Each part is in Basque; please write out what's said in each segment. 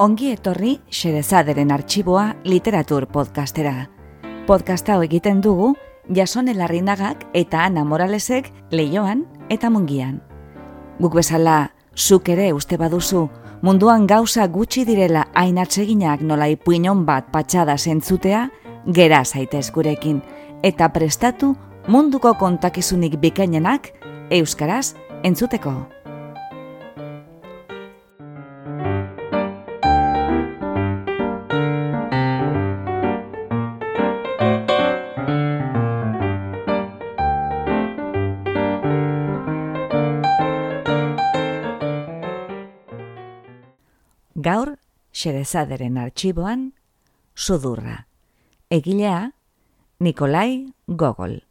Ongi etorri Xerezaderen artxiboa literatur podcastera. Podcast hau egiten dugu Jasone Larrinagak eta Ana Moralesek Leioan eta Mungian. Guk bezala, zuk ere uste baduzu, munduan gauza gutxi direla hain atseginak nola ipuinon bat patxada zentzutea, gera zaitez gurekin, eta prestatu munduko kontakizunik bikainenak euskaraz entzuteko. Gaur, Xerezaderen artxiboan, Sudurra. Egilea, Nikolai Gogol.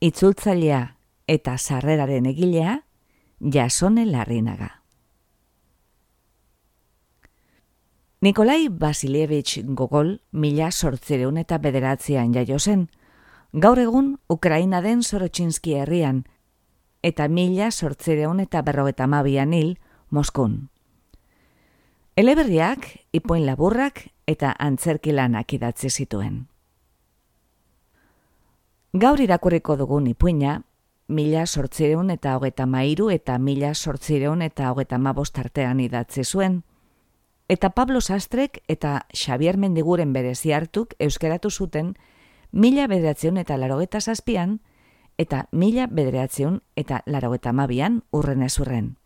Itzultzailea eta sarreraren egilea, Jasone Larrinaga. Nikolai Vasilievich Gogol 1809 jaio zen, gaur egun Ukraina den Sorotxinski herrian, eta 1852 hil Moskun. Eleberriak, ipuin laburrak eta antzerkilanak idatzi zituen. Gaur irakurriko dugun ipuina, 1833 eta 1835 artean idatzi zuen, eta Pablo Sastrek eta Xabier Mendiguren berezi hartuk euskeratu zuten 1987an eta 1992an urrenez urren.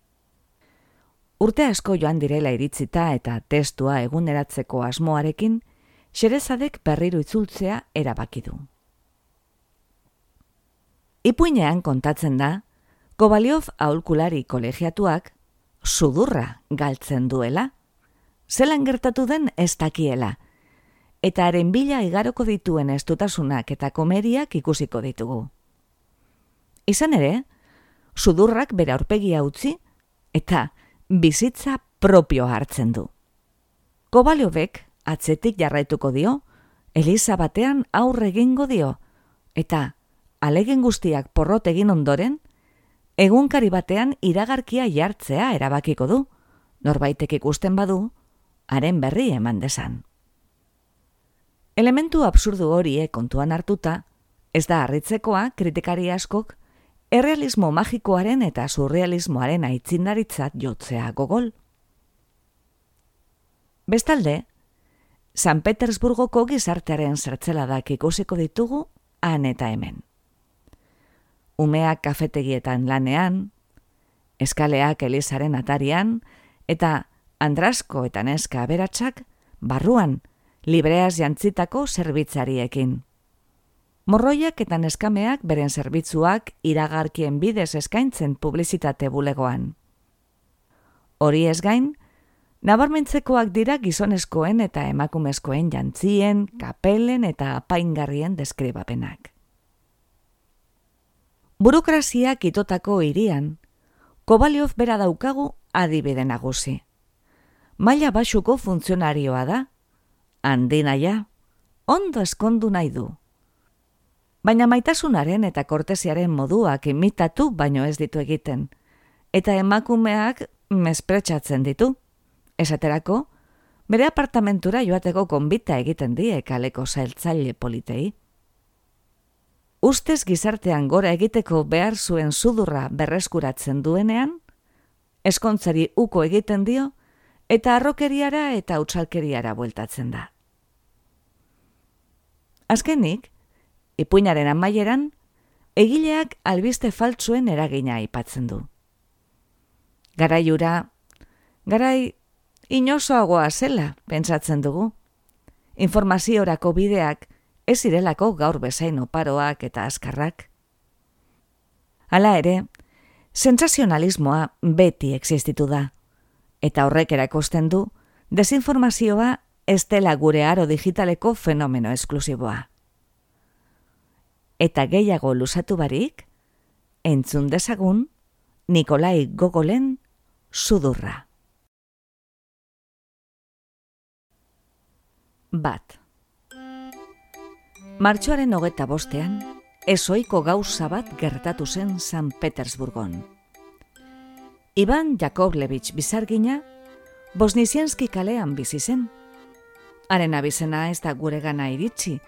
Urte asko joan direla iritzita eta testua eguneratzeko asmoarekin, Xerezadek berriro itzultzea erabaki du. Ipuinean kontatzen da, Kobaliov aholkulari kolegiatuak sudurra galtzen duela, zelan gertatu den ez dakiela, eta haren bila igaroko dituen estutasunak eta komeriak ikusiko ditugu. Izan ere, sudurrak bere aurpegia utzi eta bizitza propio hartzen du. Kobaliovek atzetik jarraituko dio, eliza batean aurre egingo dio, eta alegen guztiak porrot egin ondoren, egunkari batean iragarkia jartzea erabakiko du, norbaitek ikusten badu, haren berri eman desan. Elementu absurdu horiek kontuan hartuta, ez da harritzekoa kritikari askok errealismo magikoaren eta surrealismoaren aitzindaritzat jotzea Gogol. Bestalde, San Petersburgoko gizartearen zertzeladak ikusiko ditugu han eta hemen. Umeak kafetegietan lanean, eskaleak elizaren atarian, eta andrasko eta neska aberatsak barruan libreaz jantzitako zerbitzariekin. Morroiak eta neskameak beren zerbitzuak iragarkien bidez eskaintzen publizitate bulegoan. Hori ez gain, nabarmentzekoak dira gizonezkoen eta emakumezkoen jantzien, kapelen eta apaingarrien deskribapenak. Burokraziak itotako hirian, Kobaliov bera daukagu adibide nagusi. Maila baxuko funtzionarioa da, handinaia, ondo eskondu nahi du. Baina maitasunaren eta kortesiaren moduak imitatu baino ez ditu egiten, eta emakumeak mespretxatzen ditu. Esaterako, bere apartamentura joateko konbita egiten die kaleko zailtzaile politei. Ustez gizartean gora egiteko behar zuen sudurra berreskuratzen duenean, ezkontzari uko egiten dio, eta harrokeriara eta utsalkeriara bueltatzen da. Azkenik, ipuinaren amaieran, egileak albiste faltsuen eragina aipatzen du. Garai inozoagoa zela, pentsatzen dugu. Informaziorako bideak ez zirelako gaur bezain oparoak eta azkarrak. Hala ere, sentsazionalismoa beti existitu da, eta horrek erakusten du, desinformazioa ez dela gure aro digitaleko fenomeno esklusiboa. Eta gehiago luzatu barik, entzun dezagun Nikolai Gogolen Sudurra. 1. Martxoaren 25ean, ezoiko gauza bat gertatu zen San Petersburgon. Ivan Yakovlevich Bizargina Bosnizianski kalean bizi zen. Haren abizena ez da guregana iritsi,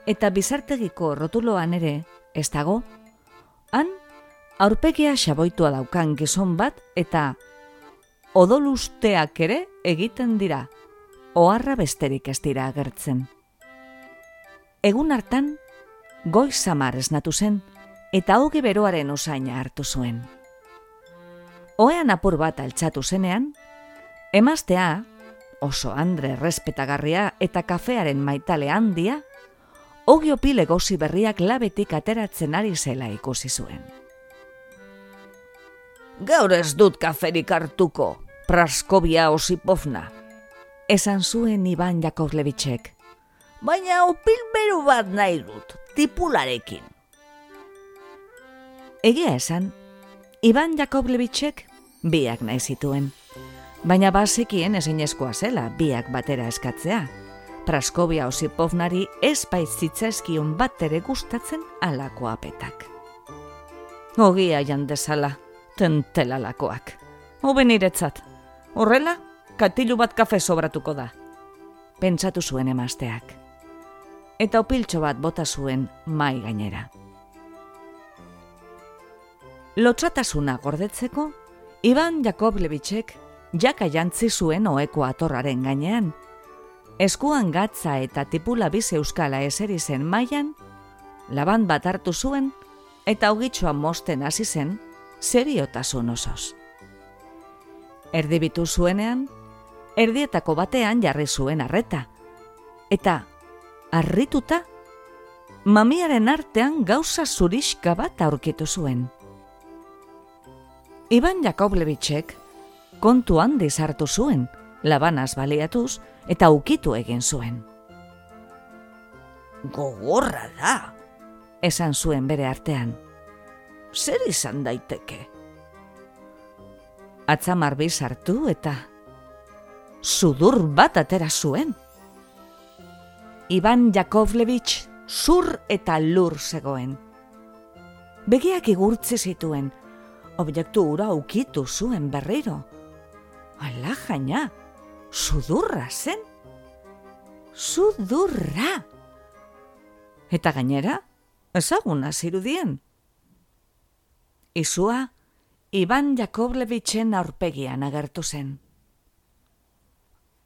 eta bizartegiko rotuloan ere ez dago. Han, aurpegia xaboitua daukan gizon bat eta odolusteak ere egiten dira, oharra besterik ez dira agertzen. Egun hartan, goiz samar esnatu zen, eta ogi beroaren usaina hartu zuen. Ohean apur bat altxatu zenean, emaztea, oso andre errespetagarria eta kafearen maitale handia, ogi opile gozi berriak labetik ateratzen ari zela ikusi zuen. Gaur ez dut kaferik hartuko, Praskovia Osipovna, esan zuen Ivan Jakovlevichek. Baina opil beru bat nahi dut, tipularekin. Egia esan, Ivan Jakovlevichek biak nahi zituen. Baina bazekien ezinezkoa zela biak batera eskatzea. Praskovia Osipovnari ez baitzitzaizkion bat ere gustatzen alako apetak. Ogia jandezala, tentelalakoak. Hobe niretzat. Horrela, katilu bat kafe sobratuko da. Pentsatu zuen emazteak. Eta opiltxo bat bota zuen mai gainera. Lotsatasuna gordetzeko, Ivan Jakovlevichek jaka jantzi zuen oheko atorraren gainean. Eskuan gatza eta tipula bize euskala eseri zen mailan, laban bat hartu zuen eta ogitxoa mosten hasi zen seriotasun osoz. Erdibitu zuenean, erdietako batean jarri zuen arreta, eta harrituta, mamiaren artean gauza zurixka bat aurkitu zuen. Ivan Jakovlevichek kontu handiz hartu zuen, labanaz baliatuz eta ukitu egin zuen. Gogorra da, esan zuen bere artean. Zer izan daiteke? Atzamar bizartu eta sudur bat atera zuen. Ivan Jakovlevich zur eta lur zegoen. Begiak igurtzi zituen, objektu hura ukitu zuen berriro. Ala jaina, sudurra zen. Sudurra! Eta gainera, ezaguna zirudien. Izua, Ivan Jakovlevichen aurpegian agertu zen.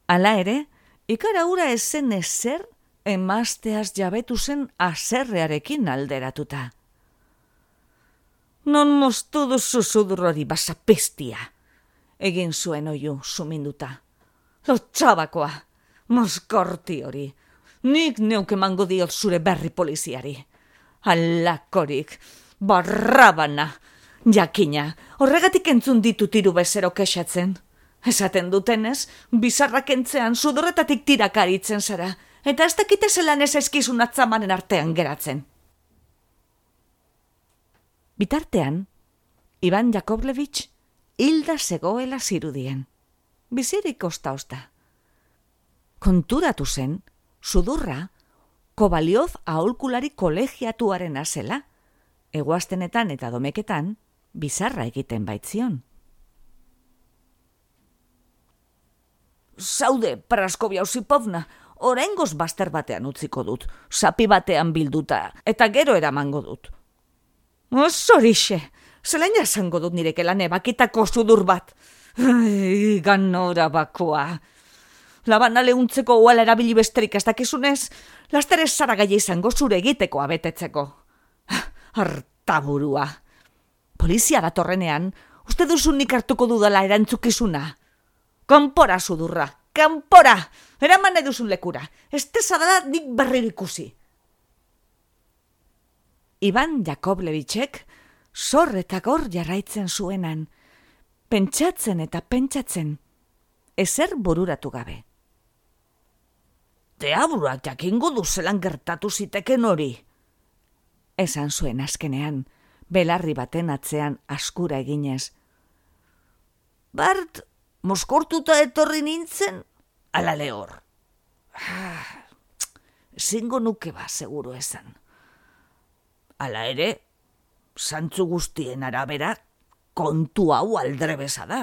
Hala ere, ikara hura ez zen ezer, emazteaz jabetu zen aserrearekin alderatuta. Non moztu duzu sudur hori basapestia, egin zuen oiu suminduta. Lotxabakoa, mozkorti hori, nik neuk emango diot zure berri poliziari. Alakorik, barrabana, jakina, horregatik entzun ditu tiru bezero kexatzen. Esaten dutenez, bizarrak entzean sudorretatik tirakaritzen zara, eta ez dakite zelan ez eskizun atzamanen artean geratzen. Bitartean, Ivan Jakovlevich hilda zegoela zirudien. Bizirik osta-osta. Konturatu zen, sudurra, Kovalyov aholkulari kolegiatuaren azela, eguaztenetan eta domeketan, bizarra egiten baitzion. Zaude, Praskovia Osipovna, oraingoz bazter batean utziko dut, sapi batean bilduta, eta gero eramango dut. Zorixe, zelaina esango dut nirekela nebakitako sudur bat. Ai, ganora bakoa. Labana lehuntzeko uala erabili besterik ez dakizunez, laster ez zara gaia izango zure egiteko abetetzeko. Hartaburua. Polizia datorrenean, uste duzu nik hartuko dudala erantzukizuna. Kanpora sudurra, kanpora! Eraman eduzun lekura, ez tezadala nik berriro ikusi. Ivan Jakovlevichek zor eta gor jarraitzen zuenan, pentsatzen eta pentsatzen, ezer bururatu gabe. Deaburuak jakingo duzelan gertatu ziteken hori, esan zuen azkenean, belarri baten atzean askura eginez. Bart, moskortuta etorri nintzen, ala lehor. Zingo nuke ba, seguru esan. Hala ere, zantzu guztien arabera, kontu hau aldrebesa da.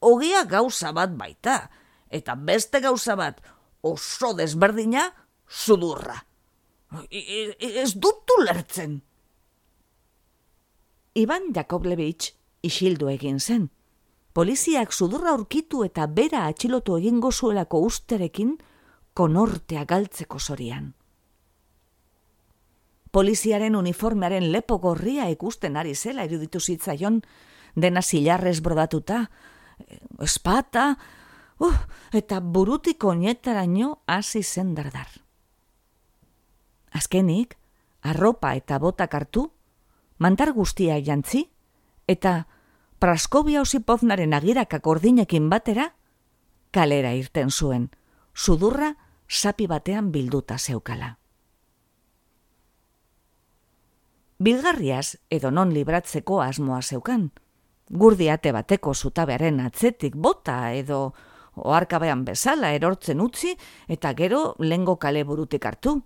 ogia gauza bat baita, eta beste gauza bat oso desberdina sudurra. Ez dut ulertzen. Ivan Yakovlevich isildu egin zen. Poliziak sudurra aurkitu eta bera atxilotu egingo zuelako usterekin konortea galtzeko zorian. Poliziaren uniformearen lepo gorria ikusten ari zela iruditu zitzaion, dena zilarrez brodatuta, espata, eta burutik oinetaraino hasi zen dardar. Azkenik, arropa eta botak hartu, mantar guztia jantzi, eta Praskovia Osipovnaren agirakak ordinekin batera, kalera irten zuen, sudurra sapi batean bilduta zeukala. Bilgarriaz edo non libratzeko asmoa zeukan, gurdiate bateko zutabearen atzetik bota edo oharkabean bezala erortzen utzi eta gero lengo kale burutik hartu.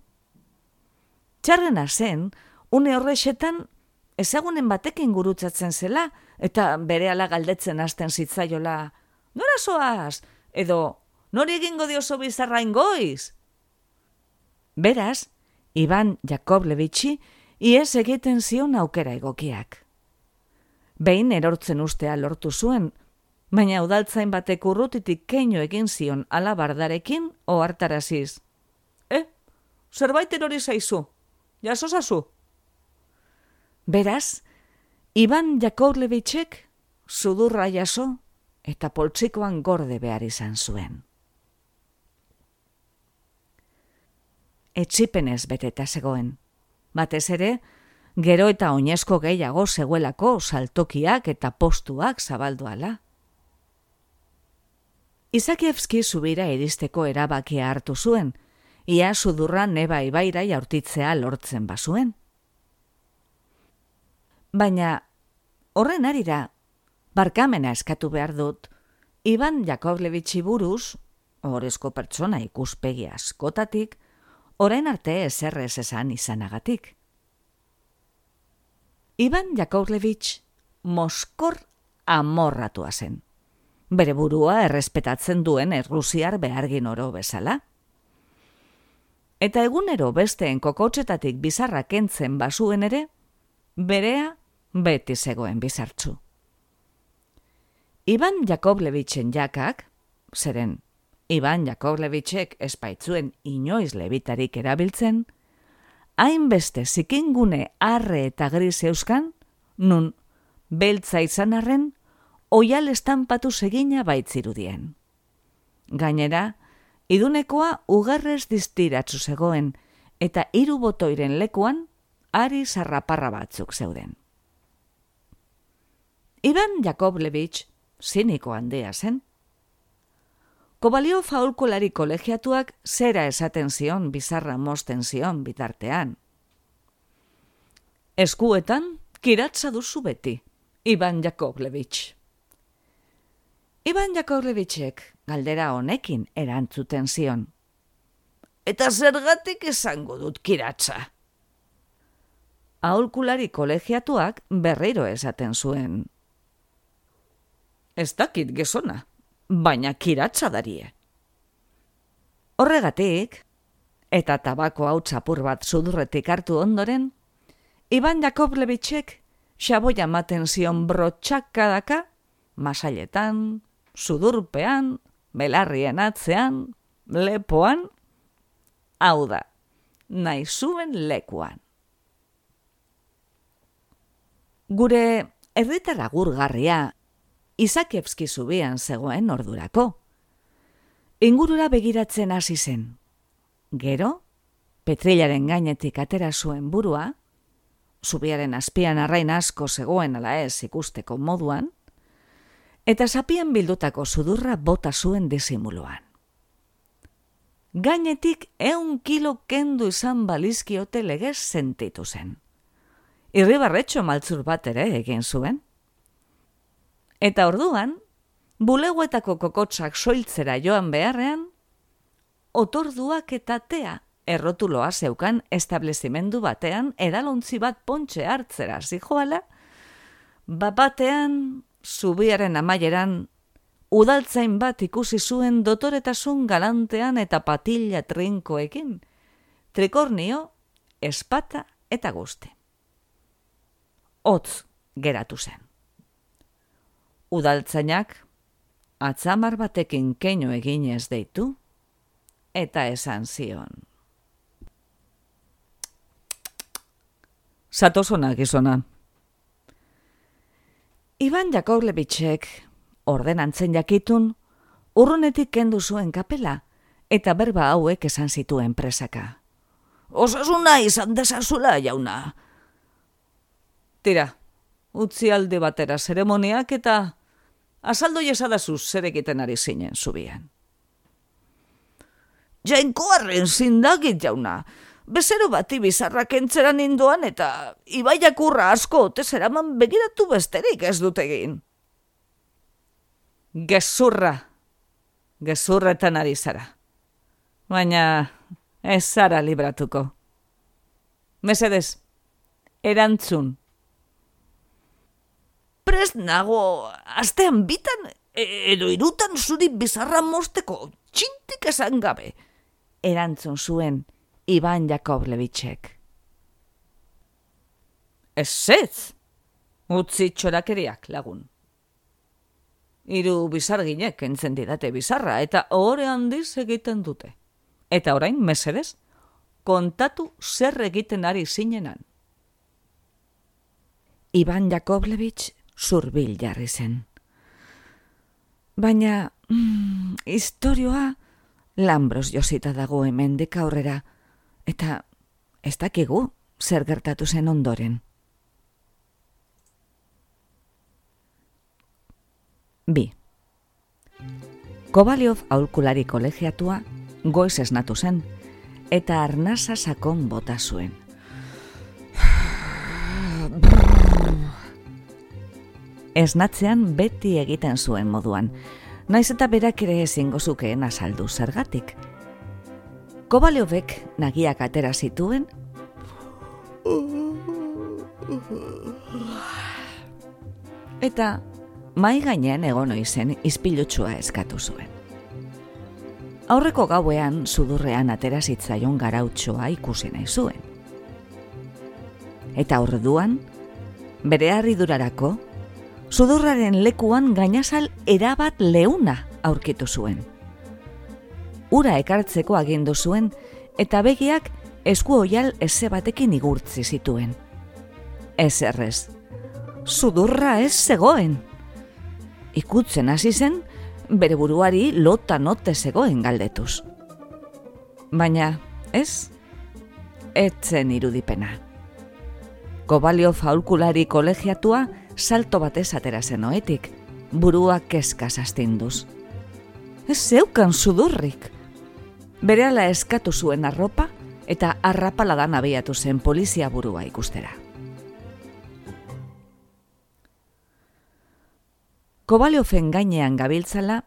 Txarrena zen, une horrexetan ezagunen batekin gurutzatzen zela eta berehala galdetzen hasten zitzaiola, nora zoaz? Edo, nori egingo dioso bizarrain goiz? Beraz, Ivan Yakovlevichi iez egiten zion aukera egokiak. Behin erortzen ustea lortu zuen, baina udaltzain batek urrutitik keinu egin zion alabardarekin ohartaraziz. Zerbait erori zaizu, jasozazu. Beraz, Ivan Yakovlevichek sudurra jaso eta poltsikoan gorde behar izan zuen. Etsipenez beteta zegoen. Batez ere, gero eta oinezko gehiago zegoelako saltokiak eta postuak zabalduala. Izakievski zubira iristeko erabakia hartu zuen, ia sudurra Neba ibaira jaurtitzea lortzen bazuen. Baina, horren arira, barkamena eskatu behar dut, Ivan Yakovlevichi buruz, ohorezko pertsona ikuspegi askotatik, orain arte ezerrez esan izanagatik. Ivan Yakovlevich moskor amorratua zen. Bere burua errespetatzen duen errusiar behargin oro bezala. Eta egunero besteen kokotsetatik bizarra kentzen bazuen ere, berea beti zegoen bizartzu. Ivan Yakovlevichen jakak, zeren Ivan Yakovlevichek espaitzuen inoiz lebitarik erabiltzen, hainbeste zikingune arre eta gris euskan, nun beltza izan arren, oial estanpatu segina baitzirudien. Gainera, idunekoa ugarrez diztiratzu zegoen, eta 3 botoiren lekuan ari zarraparra batzuk zeuden. Ivan Yakovlevich ziniko handia zen. Kovaliov aholkulari kolegiatuak zera esaten zion bizarra mozten zion bitartean. Eskuetan kiratza duzu beti, Ivan Yakovlevich. Ivan Yakovlevichek galdera honekin erantzuten zion. Eta zergatik esango dut kiratza? Aholkulari kolegiatuak berriro esaten zuen. Ez dakit gezona, baina kiratza darie. Horregatik, eta tabako hau txapur bat sudurretik hartu ondoren, Ivan Yakovlevichek xaboia maten zion brotxakadaka, masailetan, sudurpean, belarrien atzean, lepoan, hau da, nahi zuen lekuan. Gure herritar agurgarria Izakievski zubian zegoen ordurako. Ingurura begiratzen hasi zen. Gero, petrilaren gainetik atera zuen burua, zubiaren azpian arrain asko zegoen ala ez ikusteko moduan, eta zapian bildutako sudurra bota zuen disimuluan. Gainetik 100 kilo kendu izan balizkiote legez sentitu zen. Irribarretxo maltzur bat ere egin zuen. Eta orduan, bulegoetako kokotsak soiltzera joan beharrean, otorduak eta tea errotuloa zeukan establezimendu batean edalontzi bat pontxe hartzera zijoala, batean, zubiaren amaieran, udaltzain bat ikusi zuen dotoretasun galantean eta patilla trinkoekin, trikornio, espata eta guzti. Hotz geratu zen. Udaltzainak atzamar batekin keinu eginez deitu, eta esan zion. Zatozona, gizona. Iban Jakovlevichek, ordenantzen jakitun, urrunetik kendu zuen kapela, eta berba hauek esan zituen presaka. Osasuna izan dezazula, jauna. Tira, utzi alde batera zeremoniak eta azaldo jesadazu zer egiten ari zinen zubian. Jainkoarren zindagit, jauna. Bezero bati bizarrak entzeran indoan eta ibaiak urra asko ote zeraman begiratu besterik ez dut egin. Gezurretan ari zara. Baina ez zara libratuko. Mesedez, erantzun. Prest nago, astean bitan edo irutan zuri bizarra mosteko, txintik esan gabe. Erantzun zuen Iban Jakovlevichek. Ez, utzi txorakeriak, lagun. 3 bizarginek entzen didate bizarra eta ohore handiz egiten dute. Eta orain, mesedez, kontatu zer egiten ari zinenan. Iban Jakovlevich zurbil jarri zen. Baina, istorioa lambros josita dago hemendik aurrera, eta ez dakigu zer gertatu zen ondoren. 2. Kovalyov aholkulari kolegiatua goiz esnatu zen, eta arnasa sakon bota zuen. Esnatzean beti egiten zuen moduan, naiz eta berak ere ezingo zukeen azaldu zergatik. Kovalyovek nagiak atera zituen, eta mai gainean egon oizen izpilutsua eskatu zuen. Aurreko gauean sudurrean atera zitzaion garautxoa ikusi nahi zuen. Eta orduan, bere harridurarako, sudurraren lekuan gainazal erabat leuna aurkitu zuen. Ura ekartzeko agindu zuen eta begiak esku oial eze batekin igurtzi zituen. Ez errez, sudurra ez zegoen. Ikutzen hasi zen, bere buruari lotan ote zegoen galdetuz. Baina, ez zen irudipena. Kovalyov aholkulari kolegiatua salto batez atera zen oetik, burua kezkaz astinduz. Ez zeukan sudurrik. Berehala eskatu zuen arropa eta arrapaladan abiatu zen polizia burua ikustera. Kovalyoven gainean gabiltzala,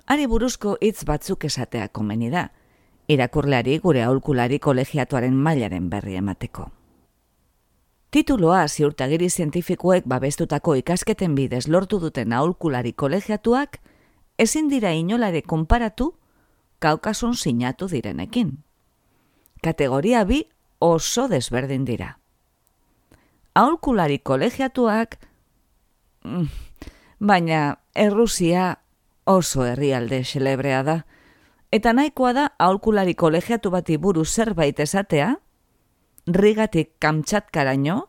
hari buruzko hitz batzuk esatea komeni da, irakurleari gure aholkulari kolegiatuaren mailaren berri emateko. Tituloa ziurtagiri zientifikoek babestutako ikasketen bidez lortu duten aholkulari kolegiatuak ezin dira inolare konparatu Kaukason sinatu direnekin. Kategoria 2 oso desberdin dira. Aholkulari kolegiatuak, baina Errusia oso herrialde xelebrea da, eta nahikoa da aholkulari kolegiatu bati buruz zerbait esatea, Rigatik Kamtxatkaraino,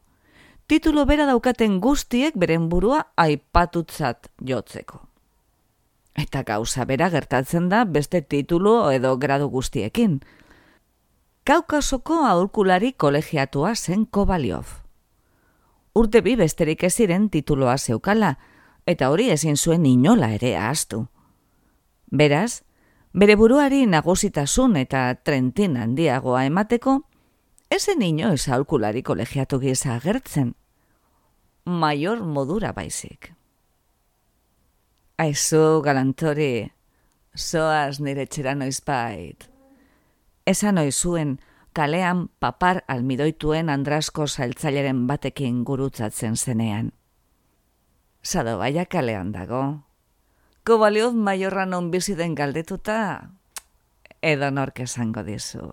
titulo bera daukaten guztiek beren burua aipatutzat jotzeko. Eta gauza bera gertatzen da beste titulu edo gradu guztiekin. Kaukasoko aholkulari kolegiatua zen Kovalyov. Urte 2 besterik ez ziren tituloa zeukala, eta hori ezin zuen inola ere ahaztu. Beraz, bere buruari nagusitasun eta trentin handiagoa emateko, ezen inoiz aholkulari kolegiatu gisa agertzen. Maior modura baizik. Aizu, galantori, zoaz nire etxera noizbait. Esan oizuen kalean papar almidoituen Andrasko saltzaileren batekin gurutzatzen zenean. Sadobaia kalean dago. Kovaliof Maiorra non bizi den galdetuta, edo nork esango dizu.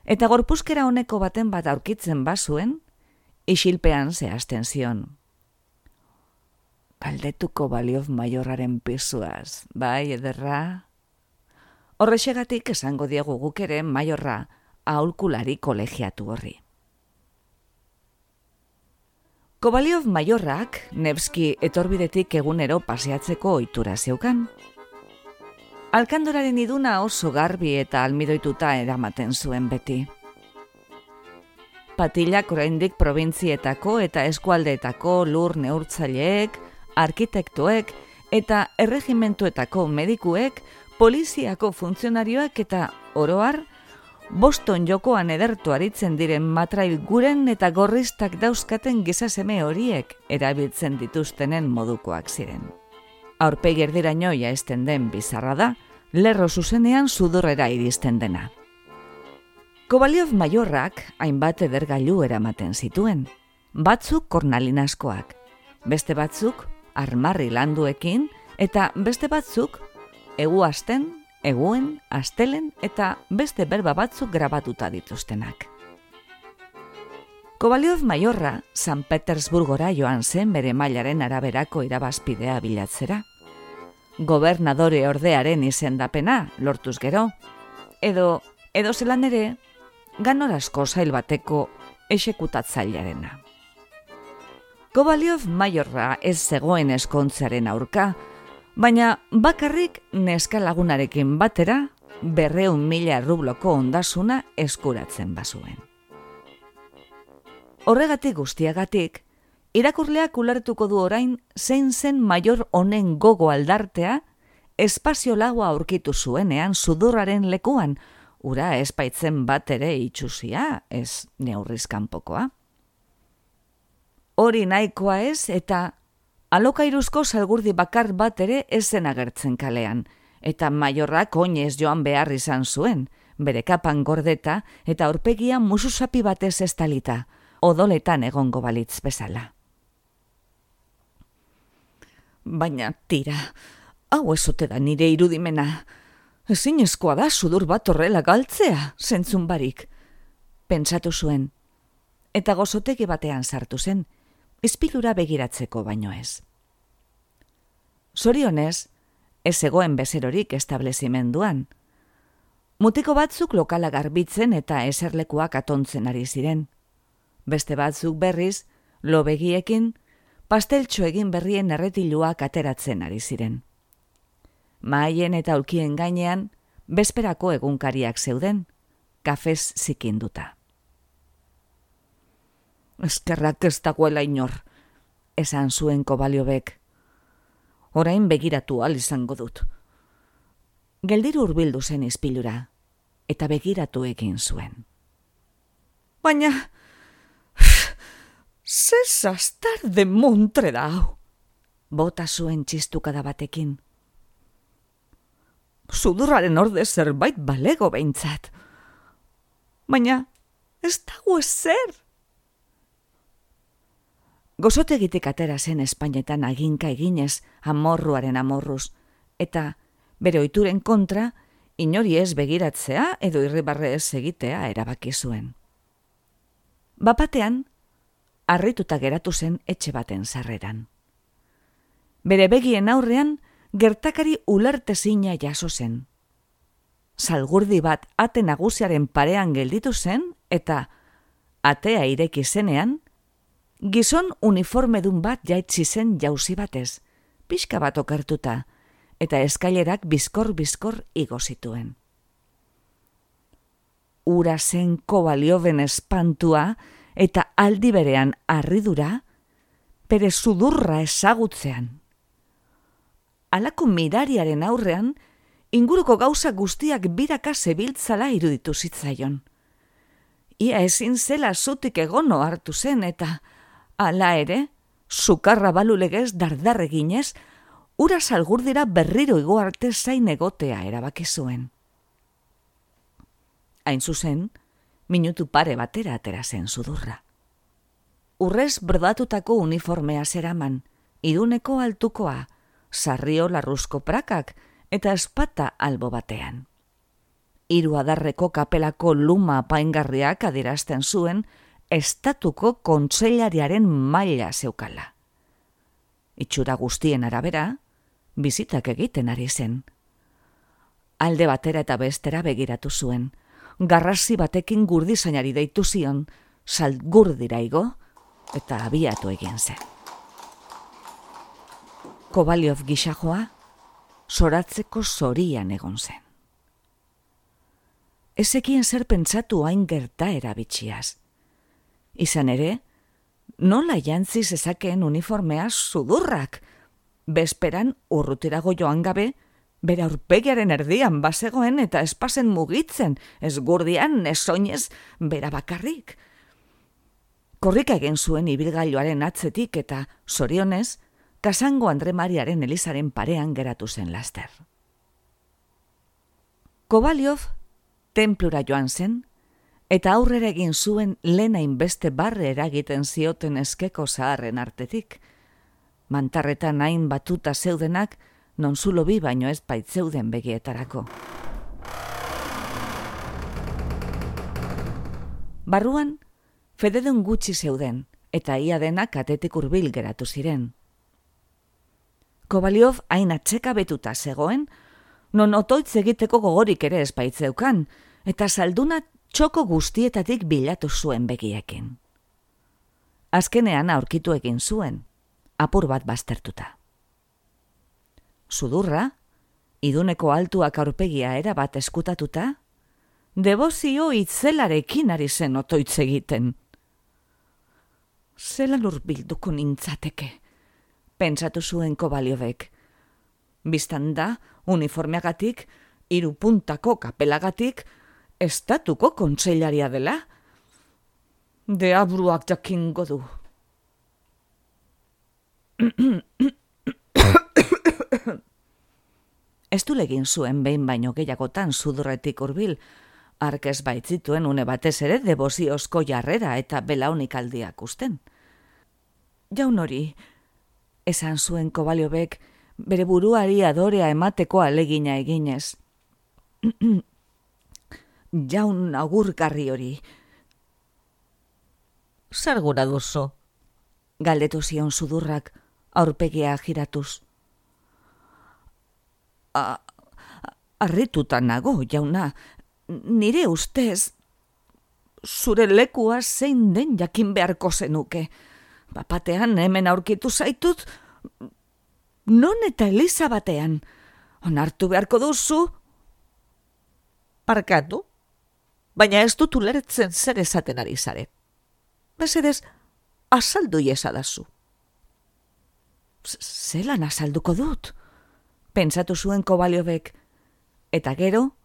Eta gorpuzkera honeko baten bat aurkitzen bazuen, isilpean zehazten zion. Galdetu Kovaliof Maiorraren pisuaz, bai, ederra? Horrexegatik esango diegu guk ere Maiorra aholkulari kolegiatu horri. Kovaliof Maiorrak Nevski etorbidetik egunero paseatzeko ohitura zeukan. Alkandoraren iduna oso garbi eta almidoituta eramaten zuen beti. Patilak oraindik probintzietako eta eskualdeetako lur neurtzaileek, arkitektoek eta erregimentuetako medikuek, poliziako funtzionarioak eta oroar, Boston jokoan edertu aritzen diren matrail guren eta gorristak dauzkaten gizaseme horiek erabiltzen dituztenen modukoak ziren. Aurpegi erdiraino jaisten den bizarra da, lerro zuzenean sudurrera iristen dena. Kovaliof Maiorrak hainbat edergailu eramaten zituen, batzuk kornalinazkoak, beste batzuk armarri landuekin eta beste batzuk eguazten, eguen, astelen eta beste berba batzuk grabatuta dituztenak. Kovaliof Maiorra San Petersburgora joan zen bere mailaren araberako irabazpidea bilatzera. Gobernadore ordearen izendapena lortuz gero, edo zelan ere, ganorazko sail bateko exekutatzailearena. Kovaliof Maiorra ez zegoen eskontzaren aurka, baina bakarrik neska lagunarekin batera 200.000 rubloko ondasuna eskuratzen bazuen. Horregatik guztiagatik, irakurleak ulertuko du orain zein zen Maior honen gogo aldartea espazio laua aurkitu zuenean sudurraren lekuan, ura espaitzen bat ere itxusia, ez neurrizkanpokoa. Hori nahikoa ez eta alokairuzko salgurdi bakar bat ere ez zen agertzen kalean, eta Maiorrak oinez joan behar izan zuen, bere kapan gordeta eta aurpegia mususapi batez estalita, odoletan egongo balitz bezala. Baina tira, hau ezote da nire irudimena. Ezinezkoa da sudur bat horrela galtzea, zentzun barik, pentsatu zuen, eta gozotegi batean sartu zen, izpilura begiratzeko baino ez. Zorionez, ez zegoen bezerorik establezimenduan. Mutiko batzuk lokala garbitzen eta eserlekuak atontzen ari ziren. Beste batzuk berriz, lobegiekin, pasteltxo egin berrien erretiluak ateratzen ari ziren. Mahaien eta aulkien gainean, bezperako egunkariak zeuden, kafez zikinduta. Eskerrak ez dagoela inor, esan zuen Kovaliovek. Orain begiratu ahal izango dut. Geldiru hurbildu zen izpilura, eta begiratu egin zuen. Baina, ze zastar de montre da hau, bota zuen txistukada batekin. Sudurraren orde zerbait balego behintzat. Baina, ez dago ezer. Gozotegitik atera zen Espainetan aginka eginez amorruaren amorruz, eta bere ohituren kontra inori ez begiratzea edo irribarre ez egitea erabaki zuen. Bapatean, harrituta geratu zen etxe baten sarreran. Bere begien aurrean gertakari ulertezina jaso zen. Salgurdi bat ate nagusiaren parean gelditu zen eta atea ireki zenean, gizon uniformedun bat jaitsi zen jauzi batez, pixka bat okertuta, eta eskailerak bizkor igo zituen. Ura zen Kovalioven espantua eta aldi berean harridura, bere sudurra ezagutzean. Halako mirariaren aurrean, inguruko gauza guztiak biraka zebiltzala iruditu zitzaion. Ia ezin zela zutik egono hartu zen eta, hala ere, sukarra balulegez dardarreginez, ura salgurdira berriro igo arte zain egotea erabaki zuen. Hain zuzen, minutu pare batera atera zen sudurra. Urrez bordatutako uniformea zeraman, iruneko altukoa, sarrio larruzko prakak eta espata albo batean. 3 adarreko kapelako luma apaingarriak adierazten zuen estatuko kontseilariaren maila zeukala. Itxura guztien arabera, bizitak egiten ari zen. Alde batera eta bestera begiratu zuen, garrasi batekin gurdizainari deitu zion, salgurdira igo eta abiatu egin zen. Kobaliov gisajoa zoratzeko zorian egon zen. Ezekien zer pentsatu hain gertaera bitxiaz. Izan ere, nola jantzi zezakeen uniformea sudurrak, bezperan urrutirago joan gabe, bere aurpegiaren erdian bazegoen eta espazen mugitzen, ez gurdian, ez soinez, bera bakarrik. Korrika egin zuen ibilgailuaren atzetik eta, zorionez, Kasango Andre Mariaren elizaren parean geratu zen laster. Kobaliov tenplura joan zen, eta aurrera egin zuen lehen hainbeste barre eragiten zioten eskeko zaharren artetik. Mantarretan hain batuta zeudenak, non zulo bi baino ez baitzeuden begietarako. Barruan, fededun gutxi zeuden, eta ia denak atetik hurbil geratu ziren. Kobaliov hain atseka betuta zegoen, non otoitz egiteko gogorik ere ez baitzeukan, eta salduna txoko guztietatik bilatu zuen begiekin. Azkenean aurkitu egin zuen, apur bat baztertuta. Sudurra, iduneko altuak aurpegia erabat eskutatuta, debozio itzelarekin ari zen otoitz egiten. Zelan hurbilduko nintzateke, pentsatu zuen Kobaliovek. Bistan da, uniformeagatik, 3 puntako kapelagatik, estatuko kontseilaria dela. Deabruak jakingo du. Ez du legin zuen behin baino gehiagotan sudurretik hurbil, arkez baitzituen une batez ere devoziozko jarrera eta belaunik aldiak usten. Jaun hori, esan zuen Kobaliovek, bere buruari adorea emateko alegina eginez. Jaun agurgarri hori. Zer gura duzu? Galdetu zion sudurrak, aurpegia giratuz. Harrituta nago, jauna, nire ustez, zure lekua zein den jakin beharko zenuke. Bapatean hemen aurkitu zaitut, non eta eliza batean. Onartu beharko duzu? Barkatu, baina ez dut ulertzen zer esaten ari zare. Mesedez, azaldu iezadazu. Zelan azalduko dut? Pentsatu zuen Kobaliovek, eta gero,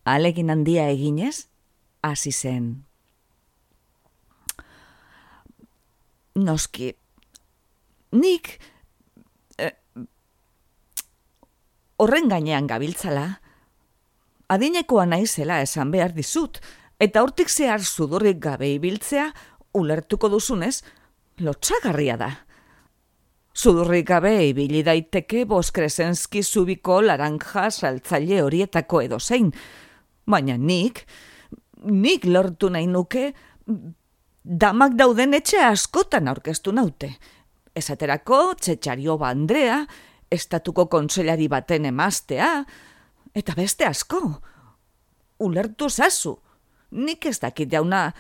ahalegin handia eginez, hasi zen. Noski, nik horren gainean gabiltzala, adinekoa naizela esan behar dizut, eta hortik zehar sudurrik gabe ibiltzea, ulertuko duzunez, lotsagarria da. Sudurrik gabe ibili daiteke Boskresenski zubiko laranja saltzaile horietako edozein, baina nik lortu nahi nuke, damak dauden etxe askotan aurkeztu naute. Esaterako Txetxariova Andrea, estatuko kontseilari baten emaztea, eta beste asko. Ulertu zazu, nik ez dakit jauna.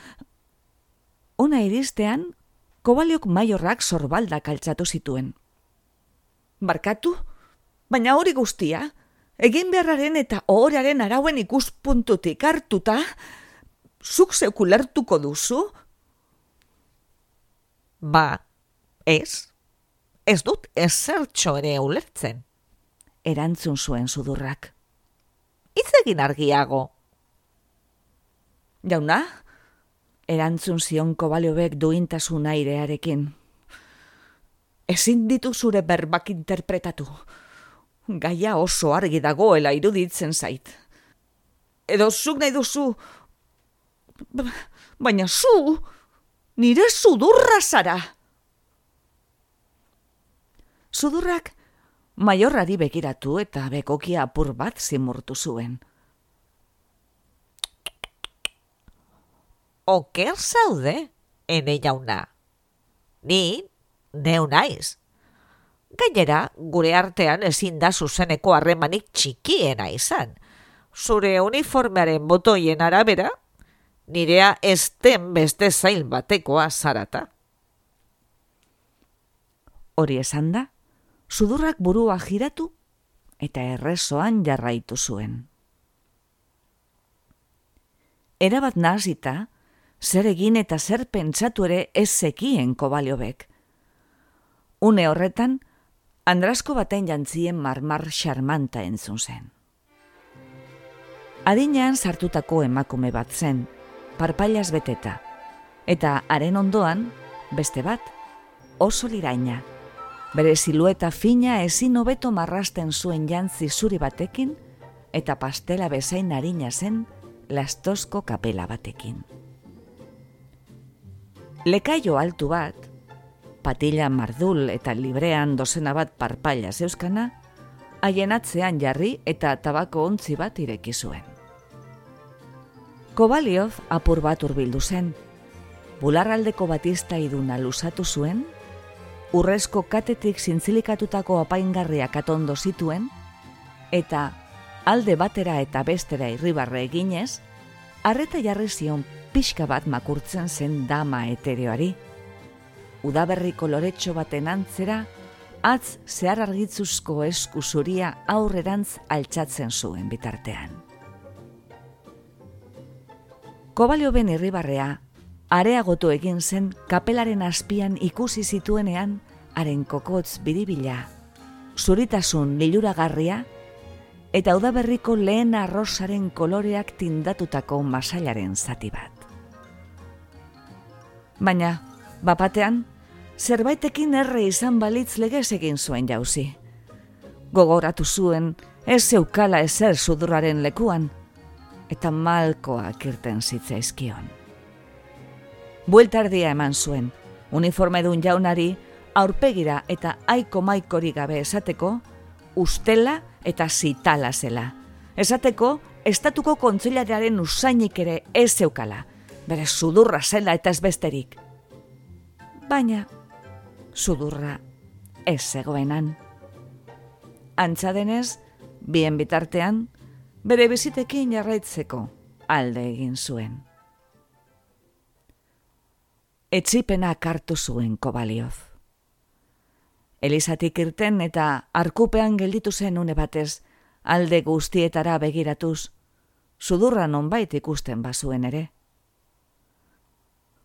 Ona iristean, Kobaliok maiorrak sorbaldak altxatu zituen. Barkatu, baina hori guztia, egin beharraren eta ohoraren arauen ikuspuntutik hartuta, zuk zeuk ulertuko duzu? Ba, ez dut ezertxo ere ulertzen, erantzun zuen sudurrak. Hitz egin argiago. Jauna, erantzun zion Kobaliovek duintasun airearekin. Ezin ditu zure berbak interpretatu. Gaia oso argi dagoela iruditzen zait. Edo zuk nahi duzu, baina zu, nire sudurra zara. Sudurrak Maiorrari begiratu eta bekokia apur bat zimurtu zuen. Oker zaude, ene jauna. Ni neu naiz. Gainera, gure artean ezin da zuzeneko harremanik txikiena izan. Zure uniformearen botoien arabera, nirea ez den beste zail batekoa zarata. Hori esan da, sudurrak burua jiratu eta errezoan jarraitu zuen. Erabat nahasita, zer egin eta zer pentsatu ere ez zekien Kobaliovek. Une horretan, Andrasko baten jantzien marmar xarmanta entzun zen. Adinean sartutako emakume bat zen, parpailaz beteta, eta haren ondoan, beste bat, oso liraina. Bere silueta fina ezin hobeto marrasten zuen jantzi zuri batekin eta pastela bezain arina zen lastozko kapela batekin. Lekaio altu bat, patila mardul eta librean dozena bat parpaila zeuskana, haien atzean jarri eta tabako ontzi bat ireki zuen. Kobaliov apur bat hurbildu zen, bularraldeko batista iduna luzatu zuen, urrezko katetik zintzilikatutako apaingarriak atondo zituen, eta alde batera eta bestera irribarre eginez, arreta jarri zion pixka bat makurtzen zen dama etereoari. Udaberri koloretxo baten antzera, atz zehar argitzuzko esku zuria aurrerantz altxatzen zuen bitartean. Kobalioven irribarrea areagotu egin zen kapelaren azpian ikusi zituenean haren kokotz biribila, zuritasun liluragarria eta udaberriko lehen arrosaren koloreak tindatutako masailaren zati bat. Baina, bapatean, zerbaitekin erre izan balitz legez egin zuen jauzi. Gogoratu zuen ez zeukala ezer sudurraren lekuan, eta malkoak irten zitzaizkion. Bueltardia eman zuen, uniformedun jaunari aurpegira eta aiko maikori gabe esateko, ustela eta zitala zela. Esateko, estatuko kontseilariaren usainik ere ez zeukala, bere sudurra zela eta ez besterik. Baina, sudurra ez zegoenan. Antza denez, bien bitartean, bere bizitekin jarraitzeko alde egin zuen. Etsipenak hartu zuen Kobaliov. Elizatik irten eta arkupean gelditu zen une batez, alde guztietara begiratuz, sudurra nonbait ikusten bazuen ere.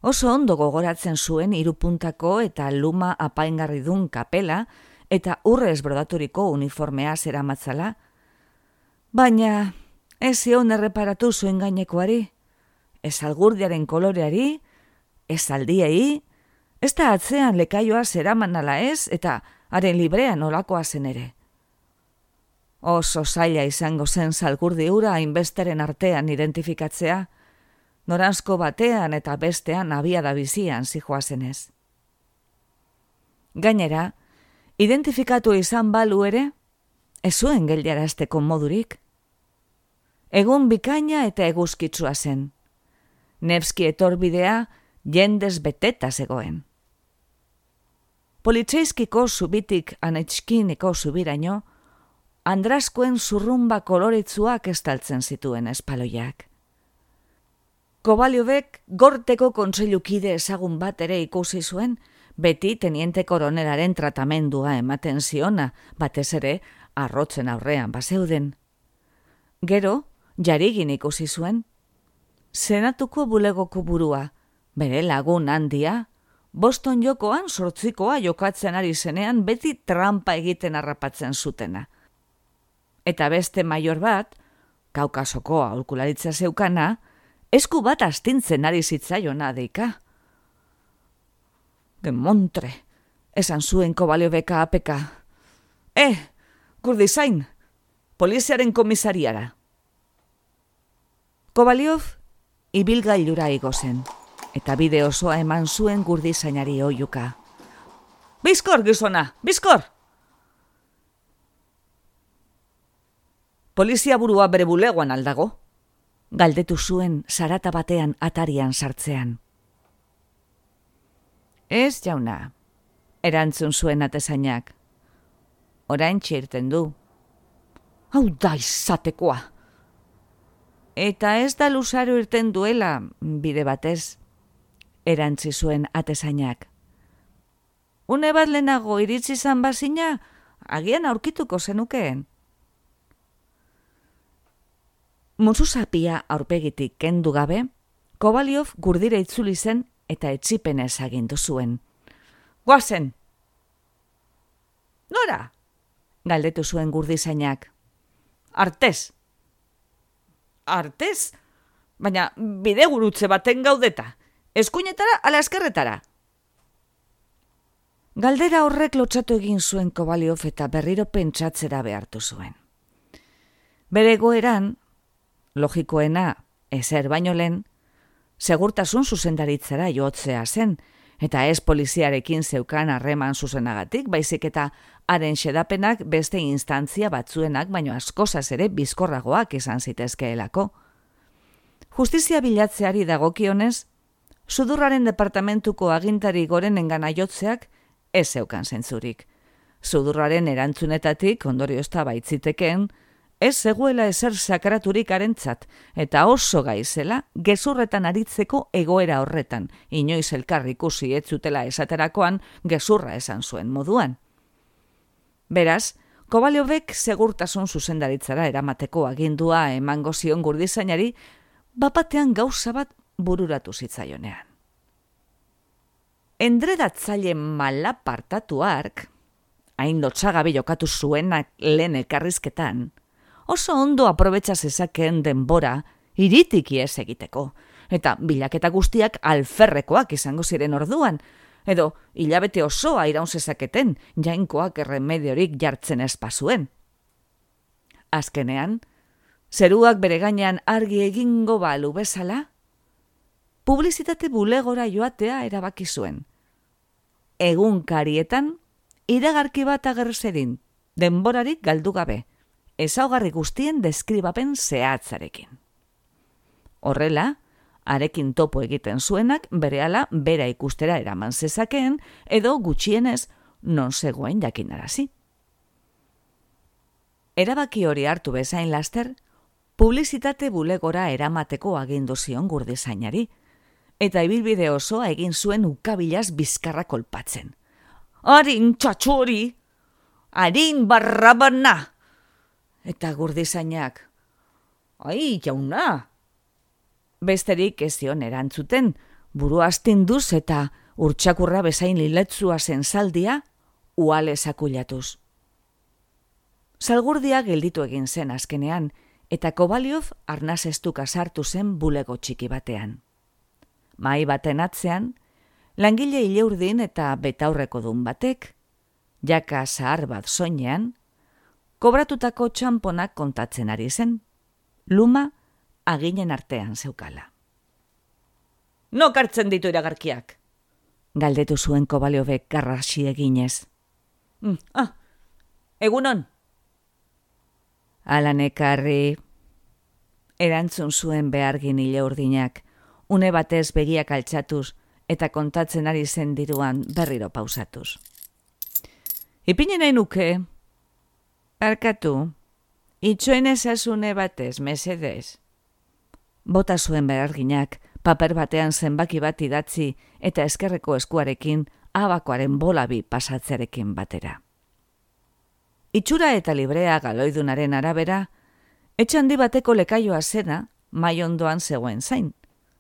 Oso ondo gogoratzen zuen hirupuntako eta luma apaingarridun kapela eta urrez brodaturiko uniformea zeramatzala, baina ez zion erreparatu zuen gainekoari, ez algurdiaren koloreari, ez aldiei, ez da atzean lekaioa zeraman ala ez eta haren librean olakoa zen ere. Oso zaila izango zen zalgurdi hura hainbesteren artean identifikatzea, noranzko batean eta bestean abiada bizian zijoazenez. Gainera, identifikatu izan balu ere, ez zuen geldiarazteko modurik. Egun bikaina eta eguzkitsua zen. Nevski etorbidea jendez beteta zegoen. Politzeizkiko zubitik anetxkiniko zubiraino, Andraskoen zurrumba koloretsuak estaltzen zituen espaloiak. Kobaliovek gorteko kontseilukide ezagun bat ere ikusi zuen, beti teniente koronelaren tratamendua ematen ziona, batez ere arrotzen aurrean bazeuden. Gero, jarigin ikusi zuen, senatuko bulegoko burua, bere lagun handia, Boston jokoan sortzikoa jokatzen ari zenean beti trampa egiten harrapatzen zutena. Eta beste maior bat, Kaukasoko aholkularitza zeukana, esku bat astintzen ari zitzaiona deika. Gemontre, esan zuen Kobalioveka apeka. Kurdizain, poliziaren komisariara. Kobaliov ibilgailura igo zen, eta bide osoa eman zuen Kurdizainari oihuka. Bizkor, gizona, bizkor! polizia burua bere bulegoan aldago? Galdetu zuen zarata batean atarian sartzean. Ez, jauna, erantzun zuen atezainak. Oraintxe irten du. Hau da izatekoa. Eta ez da luzaro irten duela, bide batez, erantzi zuen atezainak. Une bat lehenago iritsi zan bazina, agian aurkituko zenukeen. Mutsuzapia aurpegitik kendu gabe, Kobaliov gurdira itzuli zen eta etsipenez agindu zuen. Goazen! Nora? Galdetu zuen gurdizainak. Artez! Artez? Baina bide gurutze baten gaudeta. Eskuinetara ala eskerretara. Galdera horrek lotsatu egin zuen Kobaliov eta berriro pentsatzera behartu zuen. Bere egoeran, logikoena, ezer baino lehen, segurtasun zuzendaritzara jotzea zen, eta ez poliziarekin zeukan harreman zuzenagatik, baizik eta haren xedapenak beste instantzia batzuenak baino askozaz ere bizkorragoak izan zitezkeelako. Justizia bilatzeari dagokionez, Sudurraren departamentuko agintari gorenengana jotzeak ez zeukan zentzurik. Sudurraren erantzunetatik ondoriozta baitziteken, ez zegoela ezer sakraturik harentzat, eta oso gaizela gezurretan aritzeko egoera horretan, inoiz elkar ikusi ez zutela esaterakoan gezurra esan zuen moduan. Beraz, Kobaliovek segurtasun zuzendaritzara eramateko agindua emango zion gurdizainari, bapatean gauza bat bururatu zitzaionean. Endredatzaile malapartatu hark, hain lotsagabe jokatu zuenak lehen elkarrizketan, oso ondo aprobetsa zezakeen denbora iritik ihes egiteko, eta bilaketa guztiak alferrekoak izango ziren orduan, edo hilabete osoa iraun zezaketen jainkoak erremediorik jartzen espazuen. Azkenean, zeruak bere gainean argi egingo balu bezala, publizitate bulegora joatea erabaki zuen. Egunkarietan, iragarki bat ager zedin, denborarik galdu gabe, ezaugarri guztien deskribapen zehatzarekin. Horrela, harekin topo egiten zuenak berehala bera ikustera eraman zezakeen edo gutxienez non zegoen jakinarazi. Erabaki hori hartu bezain laster, publizitate bulegora eramateko agindu zion gurdizainari, eta ibilbide osoa egin zuen ukabilaz bizkarra kolpatzen. Harin txatxori! Harin barrabana! Eta gurdizainak, ai, jauna! Besterik ez zion erantzuten, buru astinduz eta urtsakurra bezain liletzua zen zaldia, uale sakulatuz. Salgurdia gelditu egin zen azkenean, eta Kobaliov arnazestuka sartu zen bulego txiki batean. Mahai baten atzean, langile ileurdin eta betaurreko dun batek, jaka zahar bat soinean, kobratutako txamponak kontatzen ari zen, luma aginen artean zeukala. Nok hartzen ditu iragarkiak? Galdetu zuen Kobaliovek garrasi eginez. Egunon? Ala nekarri, erantzun zuen behargin ileurdinak, une batez begiak altxatuz eta kontatzen ari zen diruan berriro pausatuz. Ipinen nahi nuke, barkatu, itxoen ezazune batez, mesedez. Bota zuen beharginak, paper batean zenbaki bat idatzi eta eskerreko eskuarekin abakoaren bolabi pasatzearekin batera. Itxura eta librea galoidunaren arabera, etxandi bateko lekaioa zena mahai ondoan zegoen zain,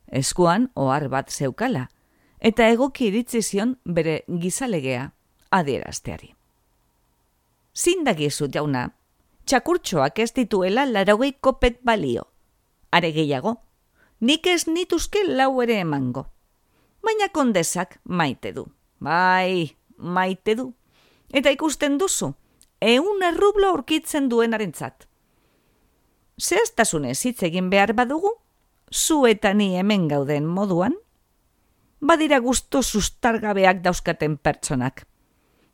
eskuan ohar bat zeukala, eta egoki iritzi zion bere gizalegea adierazteari. Zindagizu jauna, txakurtxoak ez dituela 80 kopek balio. Are gehiago, nik ez nituzke 4 ere emango. Baina kondesak maite du. Bai, maite du. Eta ikusten duzu, 100 rublo aurkitzen duenarentzat. Zehaztasunez hitz egin behar badugu, zu eta ni hemen gauden moduan, badira gusto sustargabeak dauzkaten pertsonak.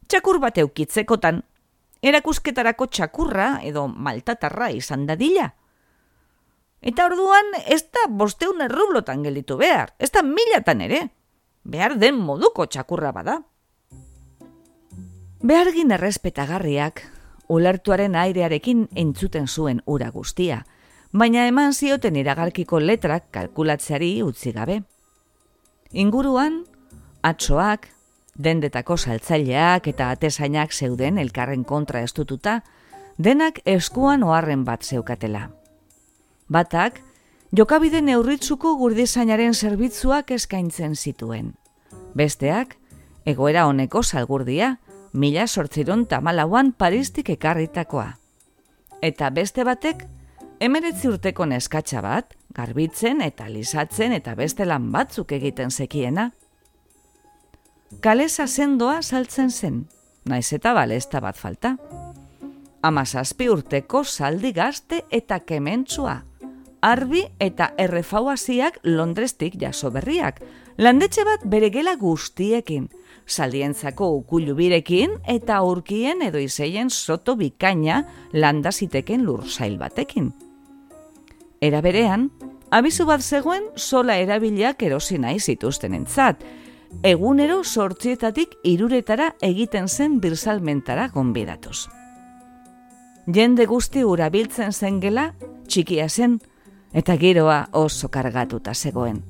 Txakur bat eukitzekotan, erakusketarako txakurra edo maltatarra izan dadila. Eta orduan ez da 500 rublotan gelditu behar, ez da 1000 ere, behar den moduko txakurra bada. Behargin errespetagarriak, ulertuaren airearekin entzuten zuen ura guztia, baina eman zioten iragarkiko letrak kalkulatzeari utzi gabe. Inguruan, atsoak, dendetako saltzaileak eta atezainak zeuden elkarren kontra estututa, denak eskuan oharren bat zeukatela. Batak, jokabide neurritzuko gurdizainaren zerbitzuak eskaintzen zituen. Besteak, egoera honeko salgurdia, 1814an Paristik ekarritakoa. Eta beste batek, 19 urteko neskatxa bat, garbitzen eta lisatzen eta beste lan batzuk egiten zekiena. Kalesa sendoa saltzen zen, naiz eta balesta bat falta. 17 urteko zaldi gazte eta kementsua, arbi eta errefauaziak Londrestik jaso berriak, landetxe bat bere gela guztiekin, zaldientzako ukulubirekin eta aurkien edo izeien soto bikaina landa ziteken lursail batekin. Era berean, abizu bat zegoen sola erabiliak erosi nahi zituztenentzat, egunero 8 iruretara egiten zen birsalmentara gonbidatuz. Jende guzti urabiltzen zen gela, txikia zen, eta giroa oso kargatuta zegoen.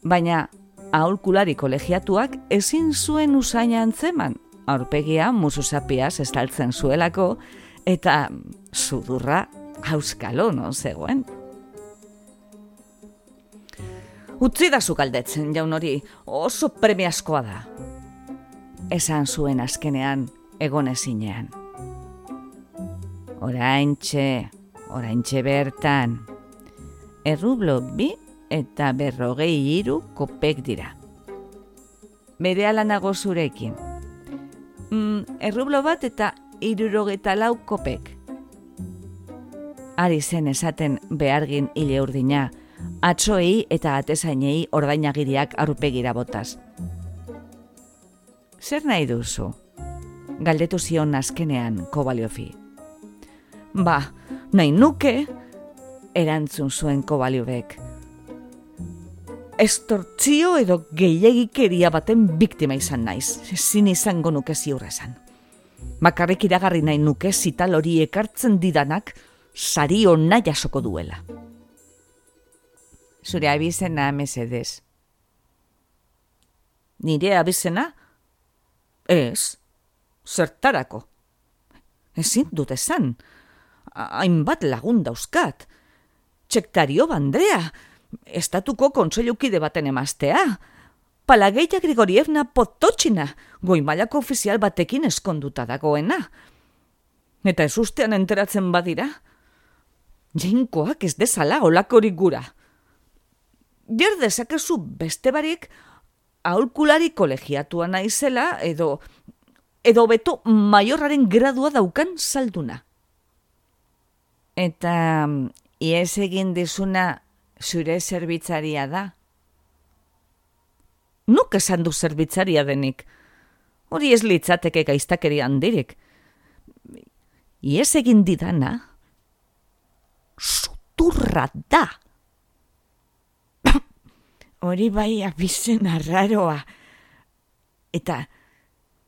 Baina, aholkulari kolegiatuak ezin zuen usaina antzeman, aurpegia musuzapiaz estaltzen zuelako, eta sudurra auskalo non zegoen. Utzi da zu galdetzen, jaun hori, oso premiazkoa da. Esan zuen azkenean, egonezinean. Oraintxe bertan. Errublo 2 eta 43 kopek dira. Berehala nago zurekin. Errublo bat eta 64 kopek. Ari zen esaten behargin hile urdina, atsoei eta atezainei ordainagiriak aurpegira botaz. Zer nahi duzu? Galdetu zion azkenean Kovaliovi. Nahi nuke, erantzun zuen Kovaliovek. Estortzio edo gehiegikeria baten biktima izan naiz, ezin izango nuke ziur esan. Bakarrik iragarri nahi nuke zital hori ekartzen didanak sari ona jasoko duela. Zure abizena, mesedez. Nire abizena? Ez, zertarako. Ezin dut esan, hainbat lagun dauzkat. Txektario bandrea, estatuko kontseilukide baten emaztea. Palageia Grigorievna Pototxina, goi-mailako ofizial batekin eskonduta dagoena. Eta ez ustean enteratzen badira. Jainkoak ez dezala olakorik gura. Ger dezakezu beste barik aholkulari kolegiatua naizela edo beto maiorraren gradua daukan salduna. Eta ies egin dizuna zure zerbitzaria da? Nuk esan du zerbitzaria denik. Hori ez litzateke gaiztakeri handirik. Ies egin didana suturra da. Hori bai abizen arraroa. Eta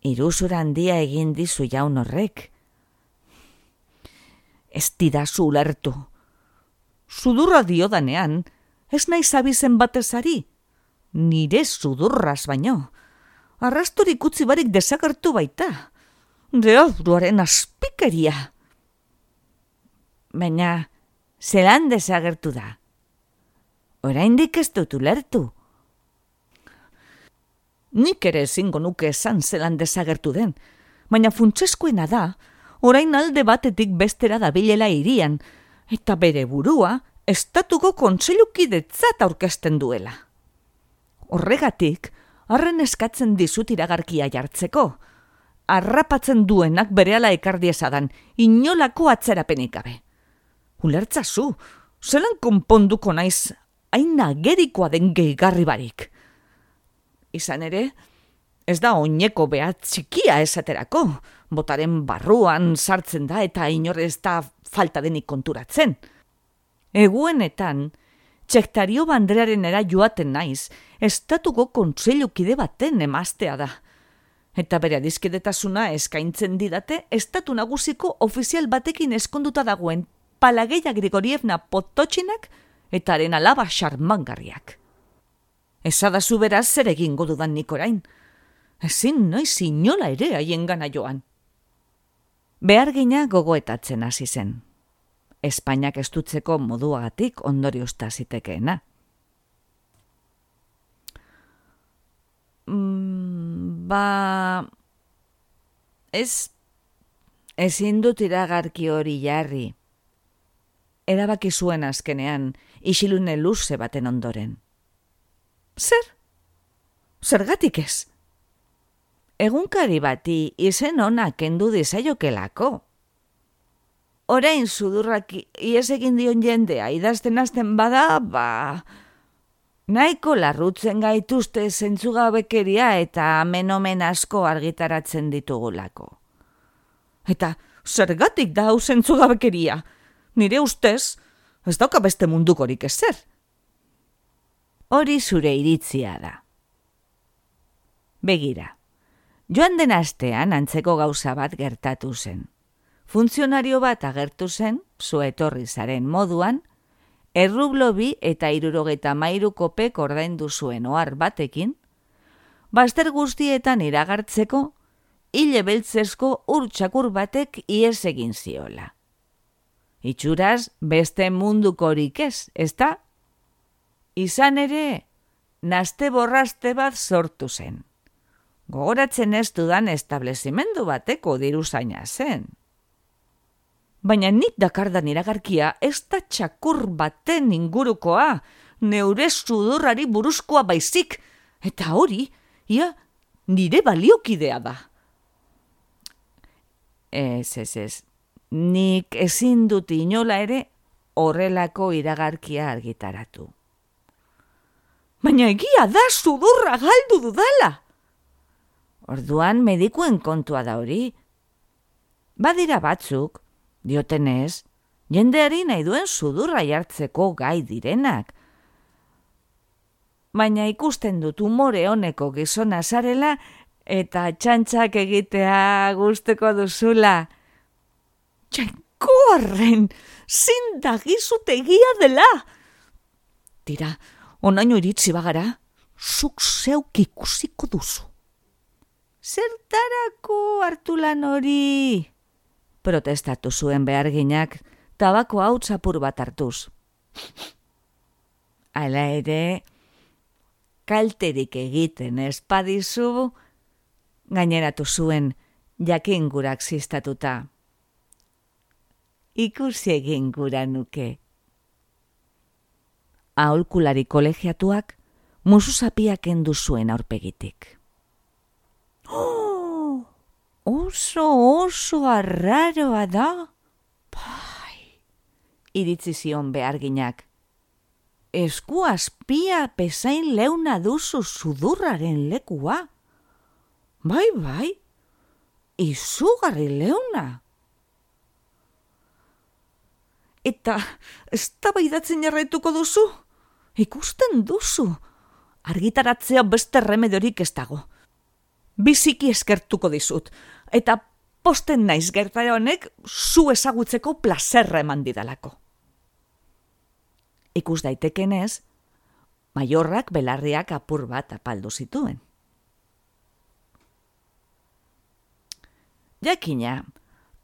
iruzura handia egin dizu jaun horrek. Ez didazu ulertu. Sudurra diodanean, ez naiz abizen batezari. Nire sudurraz baino. Arrastorik utzi barik desagertu baita. Deabruaren azpikeria. Baina, zelan desagertu da? Oraindik ez dut ulertu. Nik ere ezingo nuke esan zelan desagertu den, baina funtsezkoena da, orain alde batetik bestera dabilela hirian, eta bere burua estatuko kontseilukidetzat aurkezten duela. Horregatik, harren eskatzen dizut iragarkia jartzeko, harrapatzen duenak berehala ekardiezadan, inolako atzerapenik gabe. Ulertzazu, zelan konponduko naiz hain agerikoa den gehigarri barik. Izan ere, ez da oineko behat txikia esaterako, botaren barruan sartzen da eta inor ez da falta denik konturatzen. Eguenetan, Txektario banderarenera joaten naiz, estatuko kontseilukide baten emaztea da. Eta bere adiskidetasuna eskaintzen didate estatu nagusiko ofizial batekin eskonduta dagoen Palageia Grigorievna Pototxinak eta haren alaba xarmangarriak. Esadazu beraz zer egingo dudan nik orain. Ezin noiz inola ere haiengana joan. Behargina gogoetatzen hasi zen. Espainiak estutzeko moduagatik ondoriozta zitekeena. Ezin dut iragarki hori jarri. Erabaki zuen azkenean, isilune luze baten ondoren. Zer? Zergatik ez? Egunkari bati izen ona kendu dizaiokelako. Orain sudurrak ies egin dion jendea idazten hasten bada, nahiko larrutzen gaituzte zentzugabekeria eta amenomen asko argitaratzen ditugulako. Eta zergatik da hau zentzugabekeria? Nire ustez, ez dauka beste mundukorik ezer. Hori zure iritzia da. Begira, joan den astean antzeko gauza bat gertatu zen. Funtzionario bat agertu zen, zu etorri zaren moduan, errublo 2 eta 73 kopek ordaindu zuen ohar batekin, bazter guztietan iragartzeko, hile beltzesko urtsakur batek ihes egin ziola. Itxuraz, beste mundukorik ez, ezta? Izan ere, naste borraste bat sortu zen. Gogoratzen ez dudan establezimendu bateko diruzaina zen. Baina nik dakardan iragarkia ez da txakur baten ingurukoa, neure sudurrari buruzkoa baizik, eta hori, ia, nire baliokidea da. Ez, nik ezin dut inola ere horrelako iragarkia argitaratu. Baina egia da sudurra galdu dudala. Orduan medikuen kontua da hori. Badira batzuk, diotenez, jendeari nahi duen sudurra jartzeko gai direnak. Baina ikusten dut umore honeko gizona zarela eta txantxak egitea gusteko duzula. Jainkoarren, zindagizut egia dela! Tira, onaino iritsi bagara, zuk zeuk ikusiko duzu. Zertarako hartu lan hori? Protestatu zuen beharginak, tabako hau apur bat hartuz. Hala ere, kalterik egiten espadizu, gaineratu zuen jakin gurak ziztatuta. Ikusi egin gura nuke. Aholkulari kolegiatuak musuzapia kendu zuen aurpegitik. Oso arraroa da. Bai, iritzi zion beharginak. Esku azpia pesain leuna duzu sudurraren lekua. Bai, izugarri leuna. Eta eztabaidatzen jarraituko duzu? Ikusten duzu. Argitaratzea beste remediorik ez dago. Biziki eskertuko dizut, eta posten naiz gertara honek zu ezagutzeko plazerra eman didalako. Ikus daitekenez, Maiorrak belarriak apur bat apaldu zituen. Jakina,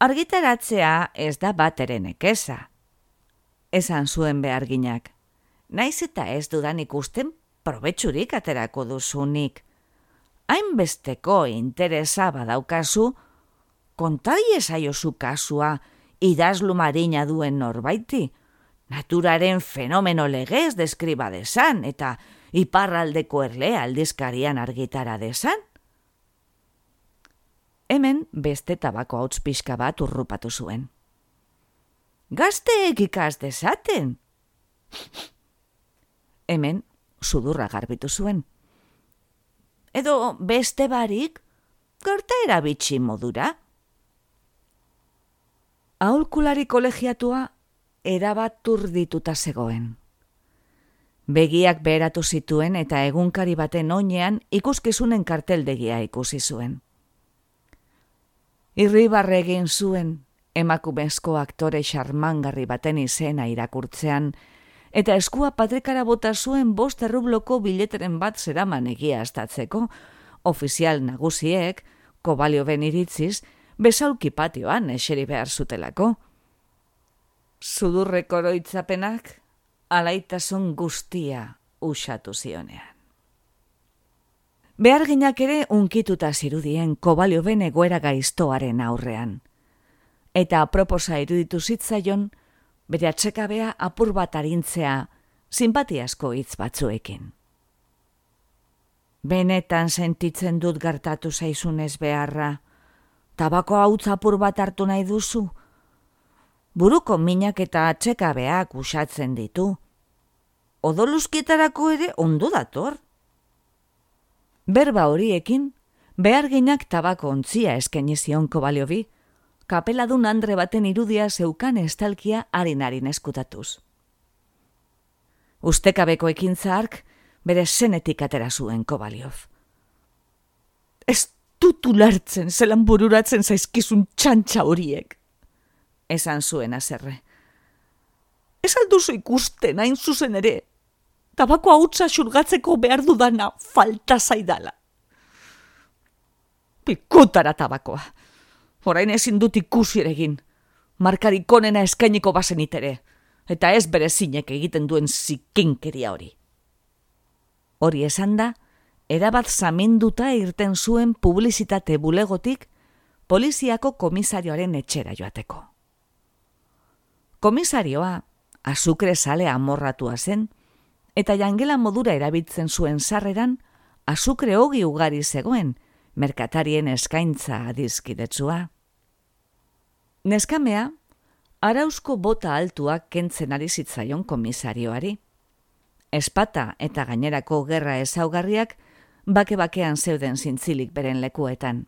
argitaratzea ez da bateren nekeza. Esan zuen beharginak, naiz eta ez dudan ikusten probetxurik aterako duzunik. Hainbesteko interesa badaukazu, kontari esaiozu kasua idazlu marina duen norbaiti, naturaren fenomeno legez deskriba desan eta iparraldeko erlea aldizkarian argitara desan. Hemen beste tabako hauts pixka bat urrupatu zuen. Gazteek ikas dezaten. Hemen sudurra garbitu zuen. Edo beste barik, gertaera bitxi modura. Aholkulari kolegiatua erabat urdituta zegoen. Begiak beheratu zituen eta egunkari baten oinean ikuskizunen karteldegia ikusi zuen. Irribarre egin zuen emakumezko aktore xarmangarri baten izena irakurtzean, eta eskua patrikara bota zuen 5 errubloko bileteren bat zeraman egiaztatzeko, ofizial nagusiek, Kobalioven iritziz, besaulki patioan eseri behar zutelako. Sudurreko oroitzapenak alaitasun guztia usatu zionean. Beharginak ere unkituta zirudien Kobalioven egoera gaiztoaren aurrean. Eta aproposa iruditu zitzaion, bere atsekabea apur bat arintzea sinpatiazko hitz batzuekin. Benetan sentitzen dut gertatu zaizunez beharra, tabako hautz apur bat hartu nahi duzu? Buruko minak eta atsekabeak usatzen ditu. Odoluzkietarako ere ondo dator. Berba horiekin, beharginak tabako ontzia eskaini zion Kobaliovi, kapeladun andre baten irudia zeukan estalkia harin eskutatuz. Ustekabeko ekintza hark bere zenetik atera zuen Kobaliov. Ez dut ulertzen zelan bururatzen zaizkizun txantxa horiek, esan zuen haserre. Ez alduzu ikusten hain zuzen ere, tabako hautsa xurgatzeko behar dudana falta zaidala. Pikutara tabakoa. Orain ezin dut ikusi ere egin. Markarik onena eskainiko bazenit ere, eta ez bere zinek egiten duen zikinkeria hori. Hori esan da, erabat zaminduta irten zuen publizitate bulegotik poliziako komisarioaren etxera joateko. Komisarioa azukre sale amorratua zen, eta jangela modura erabiltzen zuen sarreran azukre ogi ugari zegoen, merkatarien eskaintza adizkidetsua. Neskamea, arauzko bota altuak kentzen ari zitzaion komisarioari. Espata eta gainerako gerra ezaugarriak bake-bakean zeuden zintzilik beren lekuetan.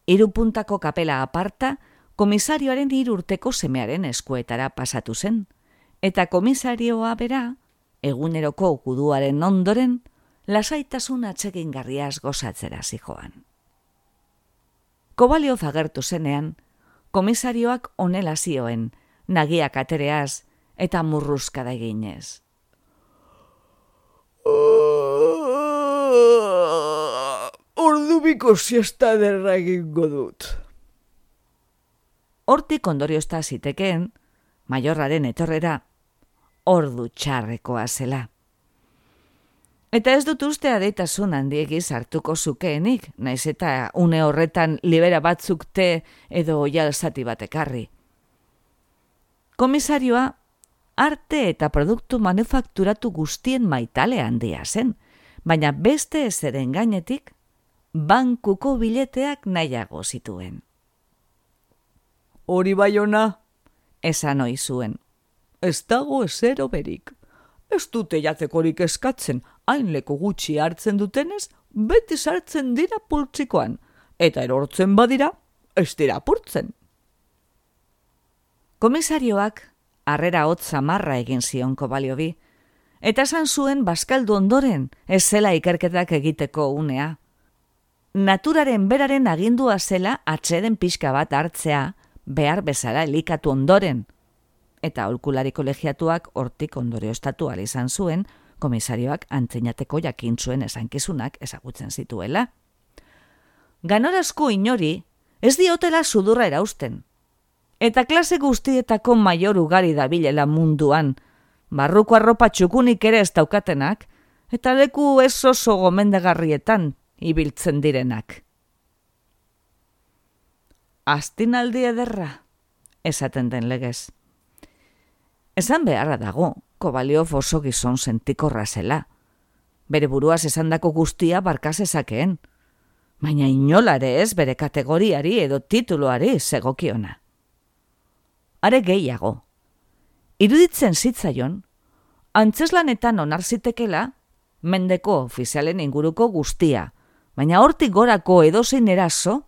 3 puntako kapela aparta, komisarioaren 3 urteko semearen eskuetara pasatu zen, eta komisarioa bera, eguneroko guduaren ondoren, lasaitasun atsegingarriaz gozatzera zijoan. Kobaliov agertu zenean, komisarioak honela zioen, nagiak atereaz eta murruzkada eginez. Ordubiko siesta derra egingo dut. Hortik ondoriozta zitekeen, maiorraren etorrera, ordu txarrekoa zela. Eta ez dut uste adeitasun handiegiz hartuko zukeenik, naiz eta une horretan libera batzuk te edo oial zati bat ekarri. Komisarioa, arte eta produktu manufakturatu guztien maitale handia zen, baina beste ezeren gainetik, bankuko bileteak nahiago zituen. Hori bai ona, esan ohi zuen. ez dago ezero berik. Ez dute jatekorik eskatzen, hain leku gutxi hartzen dutenez, beti sartzen dira pultzikoan, eta erortzen badira, ez dira apurtzen. Komisarioak harrera hotz samarra egin zion Kobaliovi, eta esan zuen bazkaldu ondoren ez zela ikerketak egiteko unea. Naturaren beraren agindua zela atseden pixka bat hartzea behar bezala elikatu ondoren, eta aholkulari kolegiatuak hortik ondorioztatu ahal izan zuen, komisarioak antzinateko jakintzuen esankizunak ezagutzen zituela. Ganorazko inori ez diotela sudurra erausten, eta klase guztietako maior ugari dabilela munduan, barruko arropa txukunik ere ez daukatenak, eta leku ez oso gomendagarrietan ibiltzen direnak. Astinaldi ederra, esaten den legez. Esan beharra dago, Kobaliov oso gizon sentikorra zela. Bere buruaz esandako guztia barkaz ezakeen, baina inolare ez bere kategoriari edo tituluari zegokiona. Are gehiago, iruditzen zitzaion, antzeslanetan onar zitekela, mendeko ofizialen inguruko guztia, baina hortik gorako edozein eraso,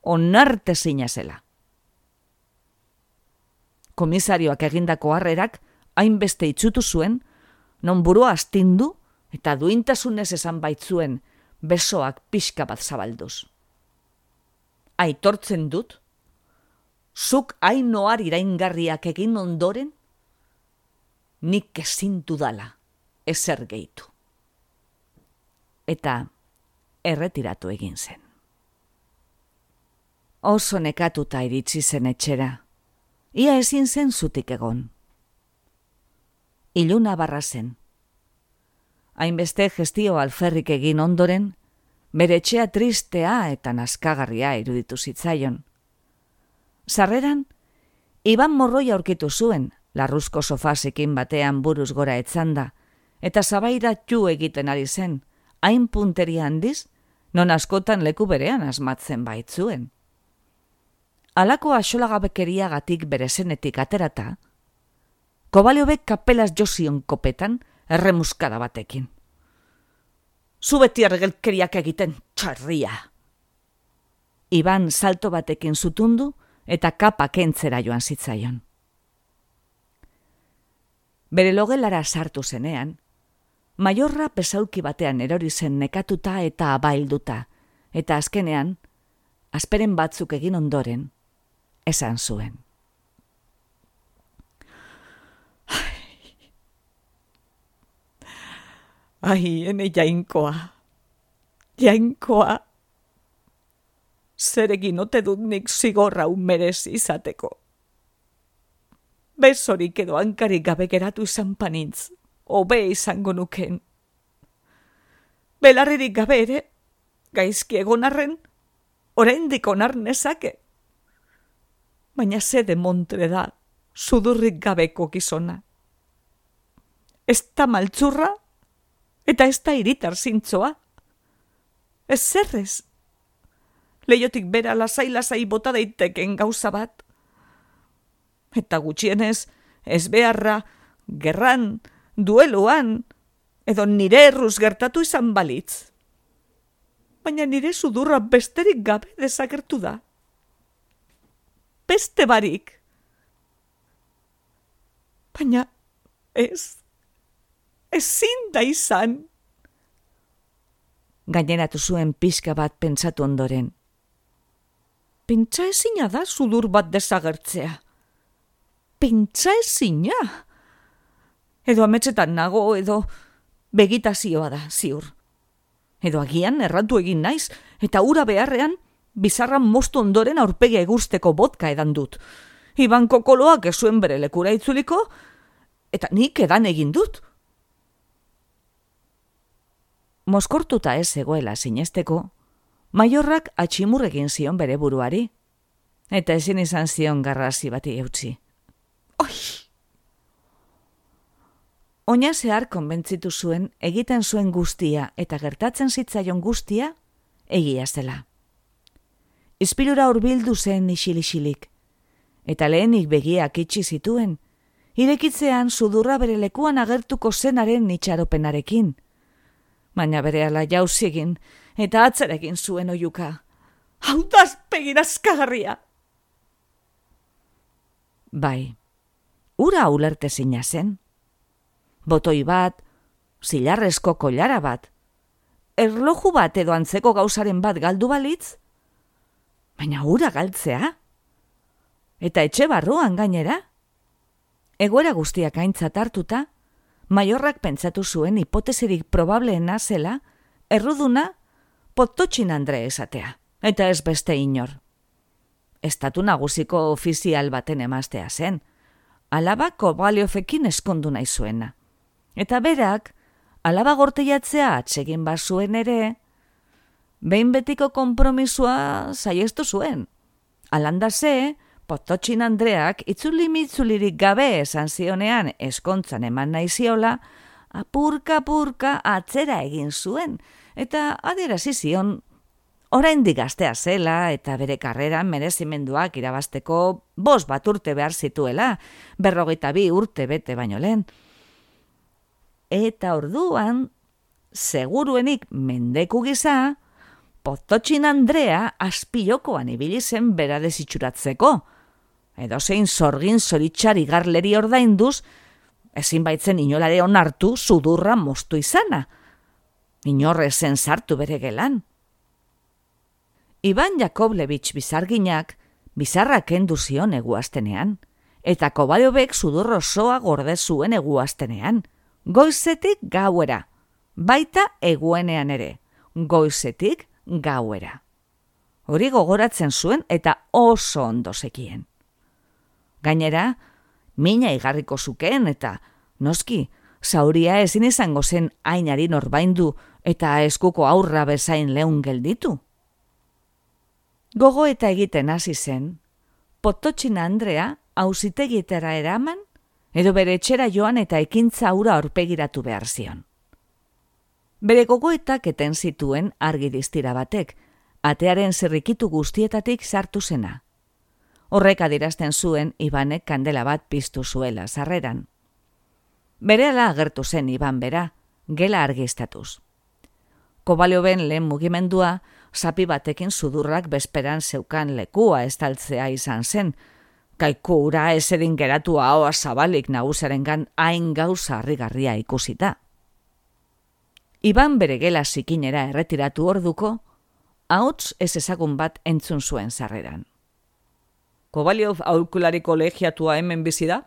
onartezina zela. komisarioak egindako harrerak hainbeste itsutu zuen, non burua astindu eta duintasunez esan baitzuen besoak pixka bat zabalduz. Aitortzen dut, zuk hain ohar iraingarriak egin ondoren, nik ezin dudala ezer gehitu. Eta erretiratu egin zen. Oso nekatuta iritsi zen etxera, ia ezin zen zutik egon. Iluna barra zen. Hainbeste gestio alferrik egin ondoren, bere etxea tristea eta naskagarria iruditu zitzaion. Sarreran, Iban morroi aurkitu zuen, larruzko sofasekin batean buruz gora etzanda, eta zabairatxu egiten ari zen, hain punteria handiz, non askotan leku berean asmatzen baitzuen. Halako axolagabekeriagatik bere zenetik aterata, Kobaliobek kapelaz jozion kopetan erremuskada batekin. Zu beti ergelkeriak egiten txarria. Iban salto batekin zutundu eta kapa kentzera joan zitzaion. Bere logelara sartu zenean, Maiorra pesauki batean erori zen nekatuta eta abailduta, eta azkenean, asperen batzuk egin ondoren, esan zuen. Ai, ene jainkoa. Zer egin ote dut nik zigorra merezi izateko. Besorik edo hankarik gabe geratu izan panintz, hobe izango nuken. Belarririk gabe ere, gaizki egon arren, oraindik onar nezake. Baina ze demontre da, sudurrik gabeko gizona. Ez da maltzurra, eta ez da iritar zintzoa. Ez zerrez. Leiotik bera lasai bota daiteken gauza bat. Eta gutxienez, ez beharra, gerran, dueluan, edo nire erruz gertatu izan balitz. Baina nire sudurra besterik gabe desagertu da. Beste barik. Baina ezin da izan. Gaineratu zuen pixka bat pentsatu ondoren. Pentsa ezina da sudur bat desagertzea. Pentsa ezina. Edo ametsetan nago, edo begitazioa da, ziur. Edo agian erratu egin naiz, eta ura beharrean, bizarran moztu ondoren aurpegia eguzteko botka edan dut. Iban kokoloak ez zuen bere lekura itzuliko, eta nik edan egin dut. Moskortuta ez egoela sinesteko, Maiorrak atximur egin zion bere buruari, eta ezin izan zion garrasi bati eutsi. Oi! Oina zehar konbentzitu zuen egiten zuen guztia eta gertatzen zitzaion guztia egia zela. Izpilura hurbildu zen isil-isilik, eta lehenik begiak itxi zituen, irekitzean sudurra bere lekuan agertuko zenaren itxaropenarekin, baina berehala jauzi egin eta atzerekin zuen oiuka. Hau da azpegirazkagarria! Bai, ura ulertezina zen. Botoi bat, zilarrezko koilara bat, erloju bat edo antzeko gauzaren bat galdu balitz, baina ura galtzea? Eta etxe barruan gainera? Egoera guztiak aintzat hartuta, Maiorrak pentsatu zuen hipotesirik probableena zela, erruduna Potocin Andre esatea, eta ez beste inor. Estatu nagusiko ofizial baten emaztea zen, alaba Kobaliofekin eskondu nahi zuena. Eta berak, alaba gorteiatzea atsegin bazuen ere, behin betiko konpromisua saiestu zuen. Alanda ze, Potocin Andreak itzuli-mitzulirik gabe esan zionean eskontzan eman nahi ziola, apurka atzera egin zuen, eta adierazi zion oraindik gaztea zela eta bere karreran merezimenduak irabazteko 5 urte behar zituela, 42 urte bete baino lehen. Eta orduan, seguruenik mendeku gisa, Potocin Andrea azpilokoan ibili zen bera desitxuratzeko, Edozein zorgin zoritxari garleri ordainduz, ezin baitzen inolare onartu sudurra moztu izana. Inorrezen sartu bere gelan. Iban Jakoblevich bizarginak bizarra kendu zion eguaztenean, eta Kobaliovek sudur osoa gorde zuen eguaztenean, goizetik gauera, baita eguenean ere, goizetik gauera. Hori gogoratzen zuen eta oso ondo zekien. Gainera, mina igarriko zukeen eta, noski, zauria ezin izango zen ainari norbaindu eta eskuko aurra bezain leun gelditu. Gogo eta egiten hasi zen, Pototxina Andrea auzitegietara eraman, edo bere etxera joan eta ekintza hura aurpegiratu behar zion. Bere gogoetak eten zituen argi distira batek, atearen zirrikitu guztietatik sartu zena. Horrek adierazten zuen Ibanek kandela bat piztu zuela sarreran. Berehala agertu zen Iban bera, gela argiztatuz. Kobalioven lehen mugimendua, zapi batekin sudurrak bezperan zeukan lekua estaltzea izan zen, kaiku ura esedin geratu ahoa zabalik nagusarengan hain gauza harrigarria ikusita. Iban bere gela zikinera erretiratu orduko, ahots ez ezagun bat entzun zuen sarreran. Kobaliov aholkulari kolegiatua hemen bizi da?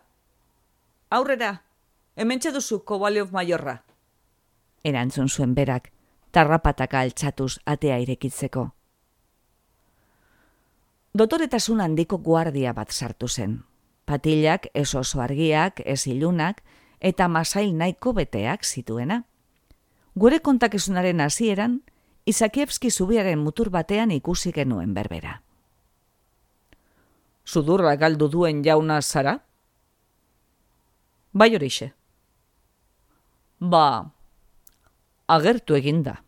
Aurrera, hementxe duzu Kobaliov maiorra. Erantzun zuen berak, tarrapataka altxatuz atea irekitzeko. Dotoretasun handiko guardia bat sartu zen. Patilak ez oso argiak, ez ilunak, eta masail nahiko beteak zituena. Gure kontakizunaren hasieran, Izakievski zubiaren mutur batean ikusi genuen berbera. Sudurra galdu duen jauna zara? Bai horixe. Ba, agertu eginda.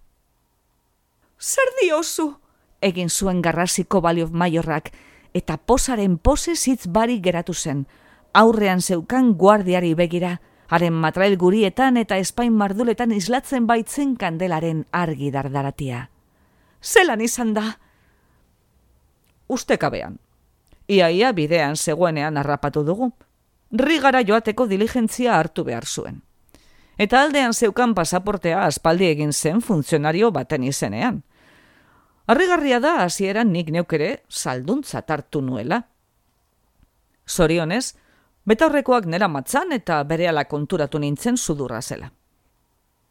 Zer diozu? Egin zuen garrasi Kobaliov maiorrak, eta posaren pose zitz barik geratu zen, aurrean zeukan guardiari begira, haren matrail gurietan eta espain marduletan islatzen baitzen kandelaren argi dardaratia. Zelan izan da? Ustekabean. Iaia bidean zegoenean harrapatu dugu. Rigara joateko diligentzia hartu behar zuen. Eta aldean zeukan pasaportea aspaldi egin zen funtzionario baten izenean. Harrigarria da hasieran nik neukere salduntzat hartu nuela. Zorionez, betaurrekoak nera matzan eta berehala konturatu nintzen sudurra zela.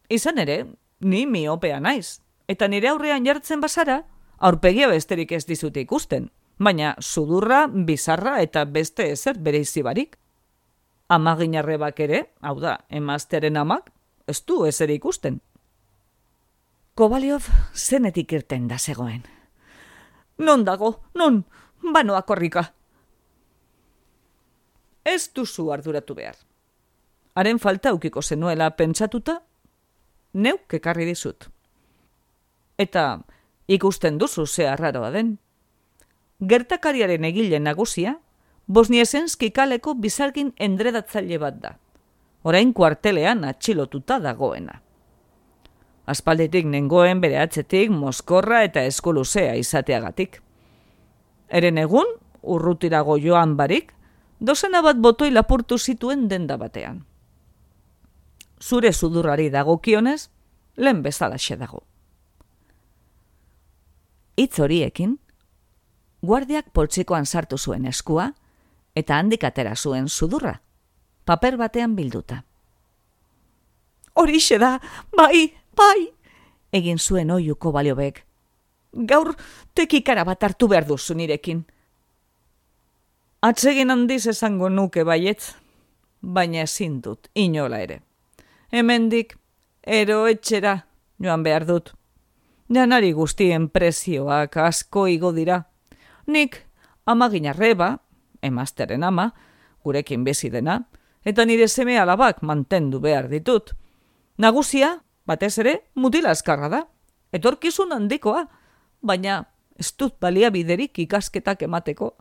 Izan ere, ni miopea naiz, eta nire aurrean jartzen bazara, aurpegia besterik ez dizute ikusten, baina sudurra, bizarra eta beste ezer bereizi barik. Amaginarrebak ere, hau da, emaztearen amak, ez du ezer ikusten. Kobaliov zenetik irten da zegoen. Non dago, non, banoa korrika. Ez duzu arduratu behar. Haren falta ukiko zenuela pentsatuta, neuk ekarri dizut. Eta ikusten duzu ze arraroa den. Gertakariaren egile nagusia, Bosniesenski kaleko bizargin endredatzaile bat da. Orain kuartelean atxilotuta dagoena. Aspalditik nengoen bere atzetik mozkorra eta eskuluzea izateagatik. Eren egun, urrutirago joan barik, dozena bat botoi lapurtu zituen denda batean. Zure sudurrari dagokionez, lehen bezalaxe dago. Hitz horiekin, guardiak poltsikoan sartu zuen eskua, eta handik atera zuen sudurra, paper batean bilduta. Horixe da, bai, egin zuen oihu Kobaliovek. Gaur tekikara bat hartu behar duzu nirekin. Atsegin handiz esango nuke baietz, baina ezin dut, inola ere. Hemendik, eroetxera joan behar dut. Janari guztien prezioak asko igo dira. Nik amaginarreba, emazteren ama, gurekin bizi dena, eta nire seme alabak mantendu behar ditut. Nagusia, batez ere, mutila azkarra da. Etorkizun handikoa, baina ez dut baliabiderik ikasketak emateko.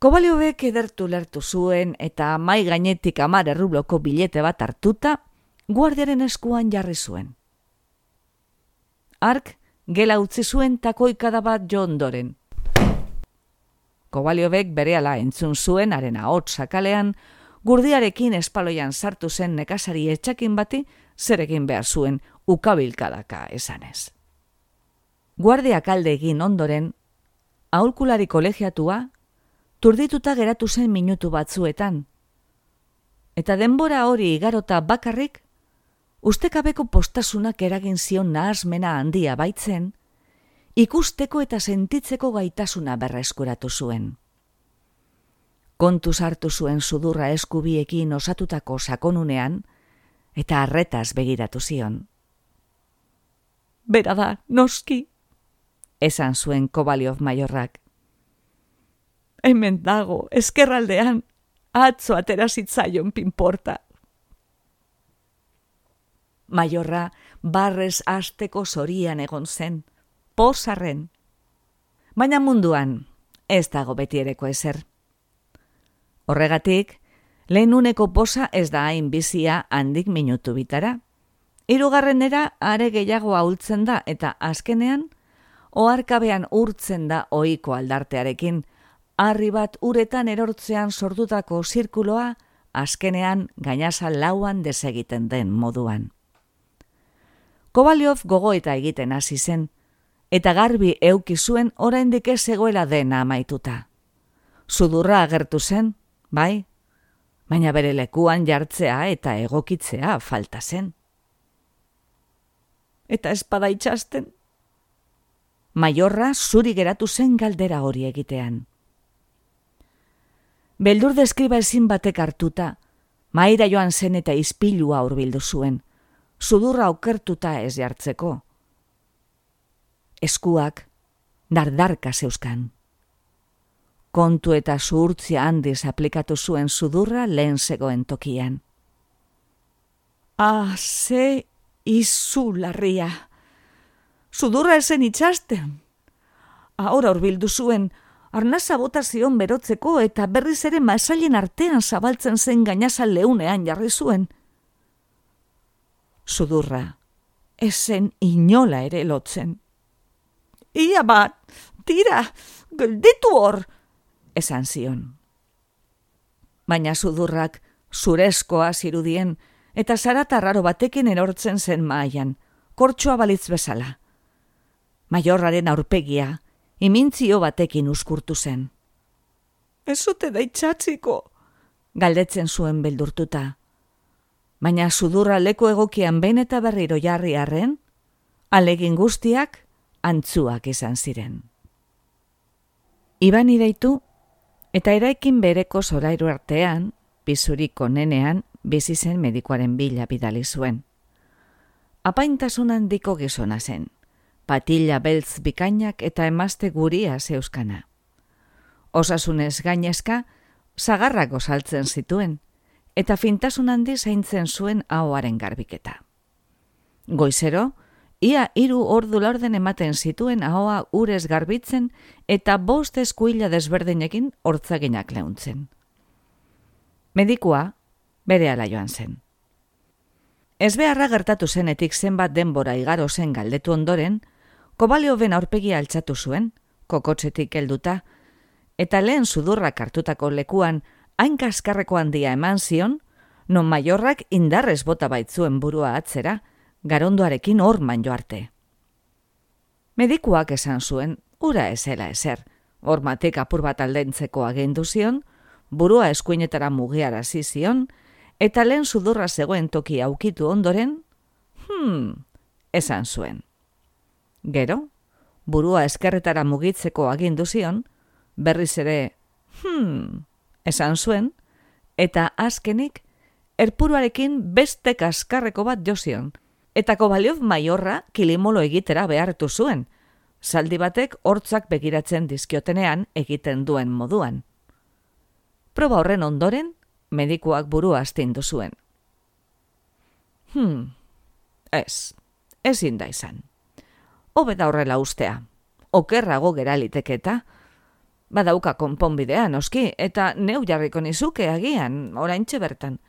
Kobaliovek edertu lertu zuen eta mai gainetik 10 rubloko bilete bat hartuta, guardiaren eskuan jarri zuen. Hark, gela utzi zuen takoikada bat jo ondoren. Kobaliovek berehala entzun zuen haren ahots sakalean, gurdiarekin espaloian sartu zen nekazari etxakin bati zer egin behar zuen ukabilkadaka esanez. Guardiak alde egin ondoren, aholkulari kolegiatua turdituta geratu zen minutu batzuetan, eta denbora hori igarota bakarrik, ustekabeko postasunak eragin zion nahasmena handia baitzen, ikusteko eta sentitzeko gaitasuna berreskuratu zuen. Kontuz hartu zuen sudurra eskubiekin osatutako sakonunean, eta arretaz begiratu zion. Bera da, noski, esan zuen Kobaliov maiorrak. Hemen dago, ezkerraldean, atzo atera zitzaion pinporta. Maiorra barrez hasteko zorian egon zen, pozarren. Baina munduan ez dago betiereko ezer. Horregatik, lehen uneko poza ez da hain bizia handik minutu bitara. Hirugarrenera are gehiago ahultzen da eta azkenean, oharkabean urtzen da ohiko aldartearekin, harri bat uretan erortzean sortutako zirkuloa azkenean gainazal lauan desegiten den moduan. Kobaliov gogoeta egiten hasi zen, eta garbi euki zuen oraindik ez zegoela dena amaituta. Sudurra agertu zen, bai, baina bere lekuan jartzea eta egokitzea falta zen. Eta espada itxasten? Maiorra zuri geratu zen galdera hori egitean. Beldur deskriba ezin batek hartuta, mahaira joan zen eta ispilua hurbildu zuen, sudurra okertuta ez jartzeko. Eskuak dardarka zeuzkan. Kontu eta zuhurtzia handiz aplikatu zuen sudurra lehen zegoen tokian. Ze izularria! Sudurra esen itxasten! Ahora hurbildu zuen, arnasa bota zion berotzeko eta berriz ere masailen artean zabaltzen zen gainazal leunean jarri zuen. Sudurra esen inola ere lotzen. Ia bat, tira, gelditu hor, esan zion. Baina sudurrak zurezkoa zirudien eta zarata raro batekin erortzen zen mahaian, kortxoa balitz bezala. Maiorraren aurpegia, imintzio batekin uskurtu zen. Ez zute da itxatziko, galdetzen zuen beldurtuta. Baina sudurra leku egokian behin eta berriro jarri arren, alegin guztiak antzuak izan ziren. Iban ideitu, eta eraikin bereko zorairu artean, bizuriko nenean, bizi zen medikoaren bila bidali zuen. Apaintasun handiko gizona zen, patilla beltz bikainak eta emazte guria zeuskana. Osasunez gainezka, zagarrak osaltzen zituen, eta fintasun handi zaintzen zuen ahoaren garbiketa. Goizero, ia 3 ordu laurden ematen zituen ahoa urez garbitzen eta 5 eskuila desberdinekin hortzaginak leuntzen. Medikua berehala joan zen. Ez beharra gertatu zenetik zenbat denbora igaro zen galdetu ondoren, Kobalioven aurpegia altxatu zuen, kokotzetik helduta, eta lehen sudurrak hartutako lekuan hain kaskarreko handia eman zion, non Maiorrak indarrez bota baitzuen burua atzera, garondoarekin horman joarte. Medikuak esan zuen, ura ezela ezer, hormatik apur bat aldentzeko agindu zion, burua eskuinetara mugiarazi zion, eta lehen sudurra zegoen toki aukitu ondoren, esan zuen. Gero, burua eskerretara mugitzeko agindu zion, berriz ere, esan zuen, eta azkenik, erpuruarekin beste kaskarreko bat jo zion, eta Kobaliov Maiorra kilimolo egitera behartu zuen, zaldi batek hortzak begiratzen dizkiotenean egiten duen moduan. Proba horren ondoren, medikuak burua astindu zuen. Ezin da izan. Hobe da horrela ustea, okerrago gera liteketa, badauka konponbidea noski, eta neu jarriko nizuke agian, oraintxe bertan,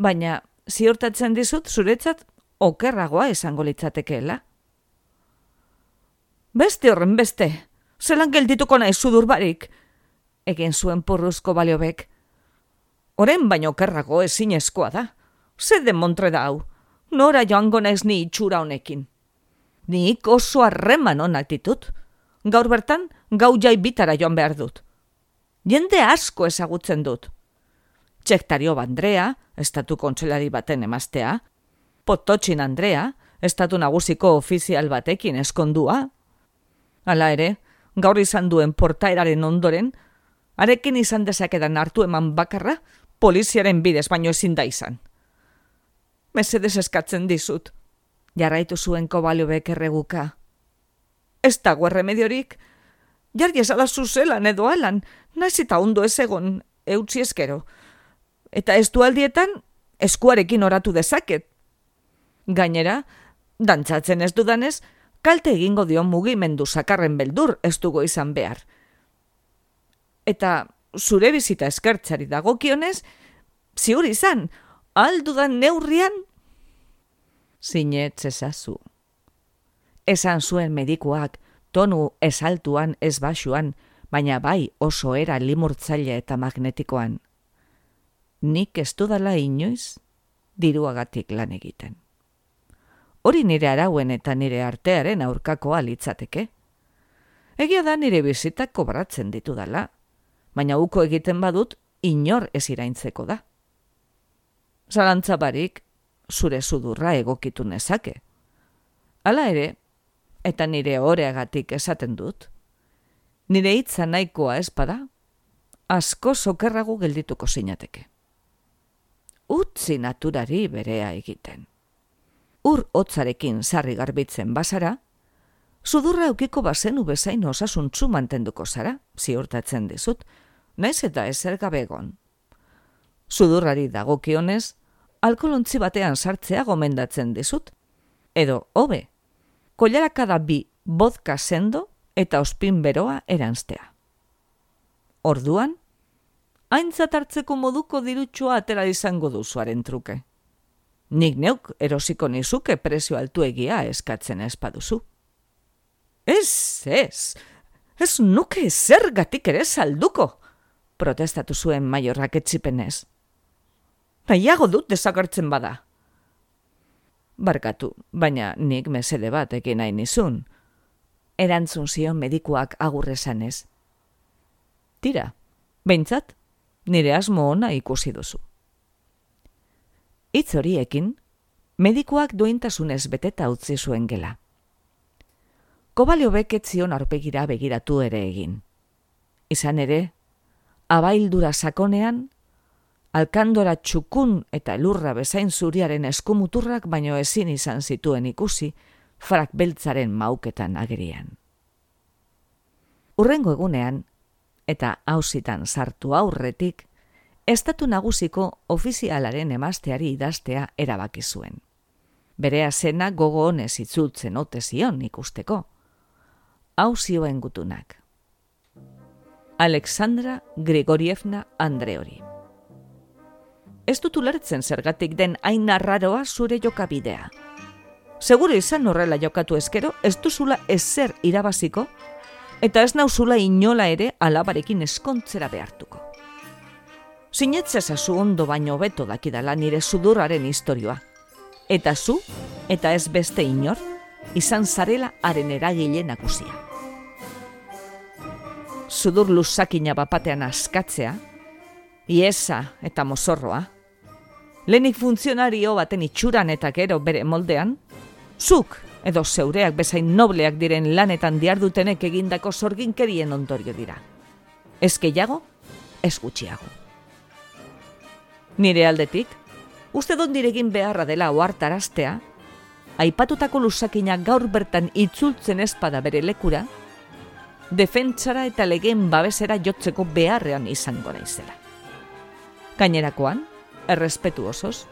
baina ziurtatzen dizut zuretzat okerragoa izango litzatekeela. Beste horren beste, zelan geldituko nahi sudur barik, egin zuen purruzko Baliobek. Oren baino kerrago ezinezkoa da. Ze demontre da hau, nora joango naiz ni itxura honekin. Nik oso harreman onak ditut. Gaur bertan, gau jai bitara joan behar dut. Jende asko ezagutzen dut. Txektario Andrea, estatu kontselari baten emaztea, Pototxin Andrea, estatu nagusiko ofizial batekin eskondua. Hala ere, gaur izan duen portaeraren ondoren, arekin izan dezakedan hartu eman bakarra, poliziaren bidez baino ezin da izan. Mesedez eskatzen dizut, jarraitu zuen Kovalyovek erreguka. Ez dago erremediorik, jarri esala zuzelan edo alan, naiz eta ondo ez egon eutzi eskero. Eta estualdietan eskuarekin oratu dezaket. Gainera, dantzatzen ez dudanez, kalte egingo dio mugimendu sakarren beldur ez dugu izan behar. Eta zure bizita eskertzari dagokionez, ziur izan, aldudan neurrian? Zinetz ezazu. Esan zuen medikuak, tonu esaltuan ez basuan, baina bai oso era limurtzaile eta magnetikoan. Nik ez dudala inoiz diruagatik lan egiten. Hori nire arauen eta nire artearen aurkakoa litzateke. Egia da nire bizitak kobratzen ditudala, baina uko egiten badut inor ez iraintzeko da. Zalantza barik, zure sudurra egokitu nezake. Hala ere, eta nire oreagatik esaten dut, nire hitza nahikoa espada, asko sokerrago geldituko zinateke. Utzi naturari berea egiten. Ur hotzarekin sarri garbitzen bazara, sudurra eukiko bazenu bezain osasuntzu mantenduko zara, ziurtatzen dizut, naiz eta ezer gabe egon. Sudurrari dagokionez, alkolontzi batean sartzea gomendatzen dizut, edo hobe, kollarakada 2 vodka sendo eta ospin beroa eranztea. Orduan, aintzat hartzeko moduko dirutxoa atera izango duzuaren truke. Nik neuk erosiko nizuke prezio altuegia eskatzen espaduzu. Ez nuke zergatik ere salduko, protestatu zuen Maiorrak etzipenez. Nahiago dut desagertzen bada. Barkatu, baina nik mesede bat ekin nahi nizun. Erantzun zion medikuak agurrezanez. Tira, behintzat, nire asmo ona ikusi duzu. Hitz horiekin, medikuak duintasunez beteta utzi zuen gela. Kovalyovek ez zion aurpegira begiratu ere egin. Izan ere, abaildura sakonean, alkandora txukun eta lurra bezain zuriaren eskumuturrak baino ezin izan zituen ikusi, frak beltzaren mauketan agerian. Hurrengo egunean, eta auzitan sartu aurretik, estatu nagusiko ofizialaren emazteari idaztea erabaki zuen. Bere azena gogo honez itzultzen ote zion ikusteko. Hau zioen gutunak. Alexandra Grigorievna Andreori. Ez dut ulertzen zergatik den hain arraroa zure jokabidea. Seguro izan horrela jokatu eskero, ez duzula ezer irabaziko, eta ez nauzula inola ere alabarekin eskontzera behartuko. Sinetzezazu ondo baino beto dakidala nire sudurraren historioa. Eta zu, eta ez beste inor, izan zarela haren eragile nagusia. Sudur luzakina bapatean askatzea, iesa eta mozorroa, lehenik funtzionario baten itxuran eta gero bere moldean, zuk edo zeureak bezain nobleak diren lanetan diardutenek egindako sorginkerien ondorio dira. Ez gehiago, ez gutxiago. Nire aldetik, uste dut niregin beharra dela ohartaraztea, aipatutako luzakina gaur bertan itzultzen ezpada bere lekura, defentsara eta legeen babesera jotzeko beharrean izango naizela. Gainerakoan, errespetu osoz,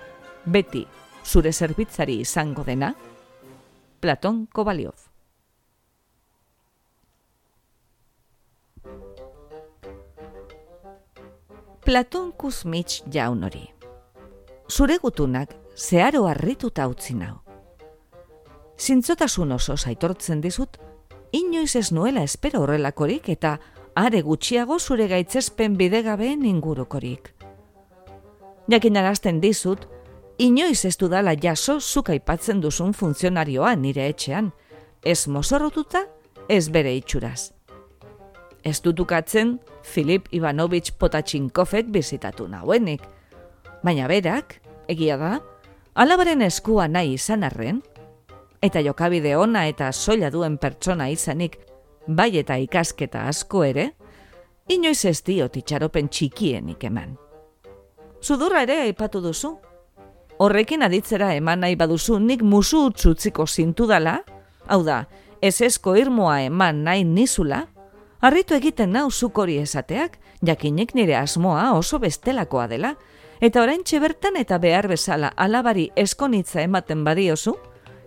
beti zure zerbitzari izango dena, Platon Kovalyov. Platon Kuzmich jaun hori. Zure gutunak zeharo harrituta utzi nau. Zintzotasun osoz aitortzen dizut, inoiz ez nuela espero horrelakorik eta are gutxiago zure gaitzespen bidegabeen ingurukorik. Jakinarazten dizut, inoiz ez dudala jaso zuk aipatzen duzun funtzionarioa nire etxean, ez mozorrotuta, ez bere itxuraz. Ez dutukatzen Filip Ivanovich Potatxinkovek bizitatu nauenik, baina berak, egia da, alabaren eskua nahi izan arren, eta jokabide ona eta soila duen pertsona izanik, bai eta ikasketa asko ere, inoiz ez diot itxaropen txikienik eman. Sudurra ere aipatu duzu. Horrekin aditzera eman nahi baduzu nik musu utzutziko zintudala, hau da, ezezko irmoa eman nahi nizula, harritu egiten nau zuk hori esateak, jakinik nire asmoa oso bestelakoa dela, eta oraintxe bertan eta behar bezala alabari eskonitza ematen badiozu,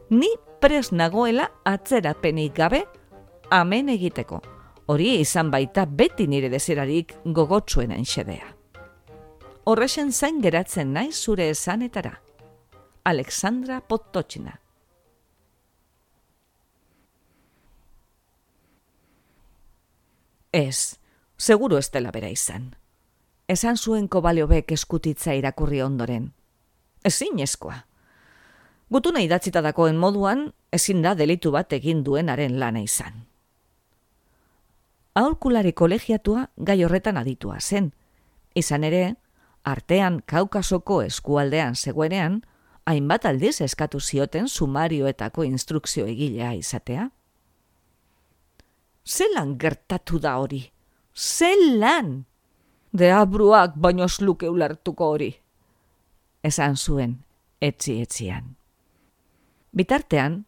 ni pres nagoela atzerapenik gabe amen egiteko. Hori izan baita beti nire desirarik gogotsuenen xedea. Horrexen zain geratzen naiz zure esanetara. Alexandra Podtochina. Ez, seguru ez dela bera izan. Esan zuen Kobaliovek eskutitza irakurri ondoren. Ezinezkoa. Gutuna idatzita dakoen moduan, ezin da delitu bat egin duenaren lana izan. Aholkulari kolegiatua gai horretan aditua zen. Izan ere, artean Kaukasoko eskualdean zegoenean, hainbat aldiz eskatu zioten sumarioetako instrukzio egilea izatea. Zelan gertatu da hori? Zelan! Deabruak baino ez luke ulertuko hori. Esan zuen, etzi-etzian. Bitartean,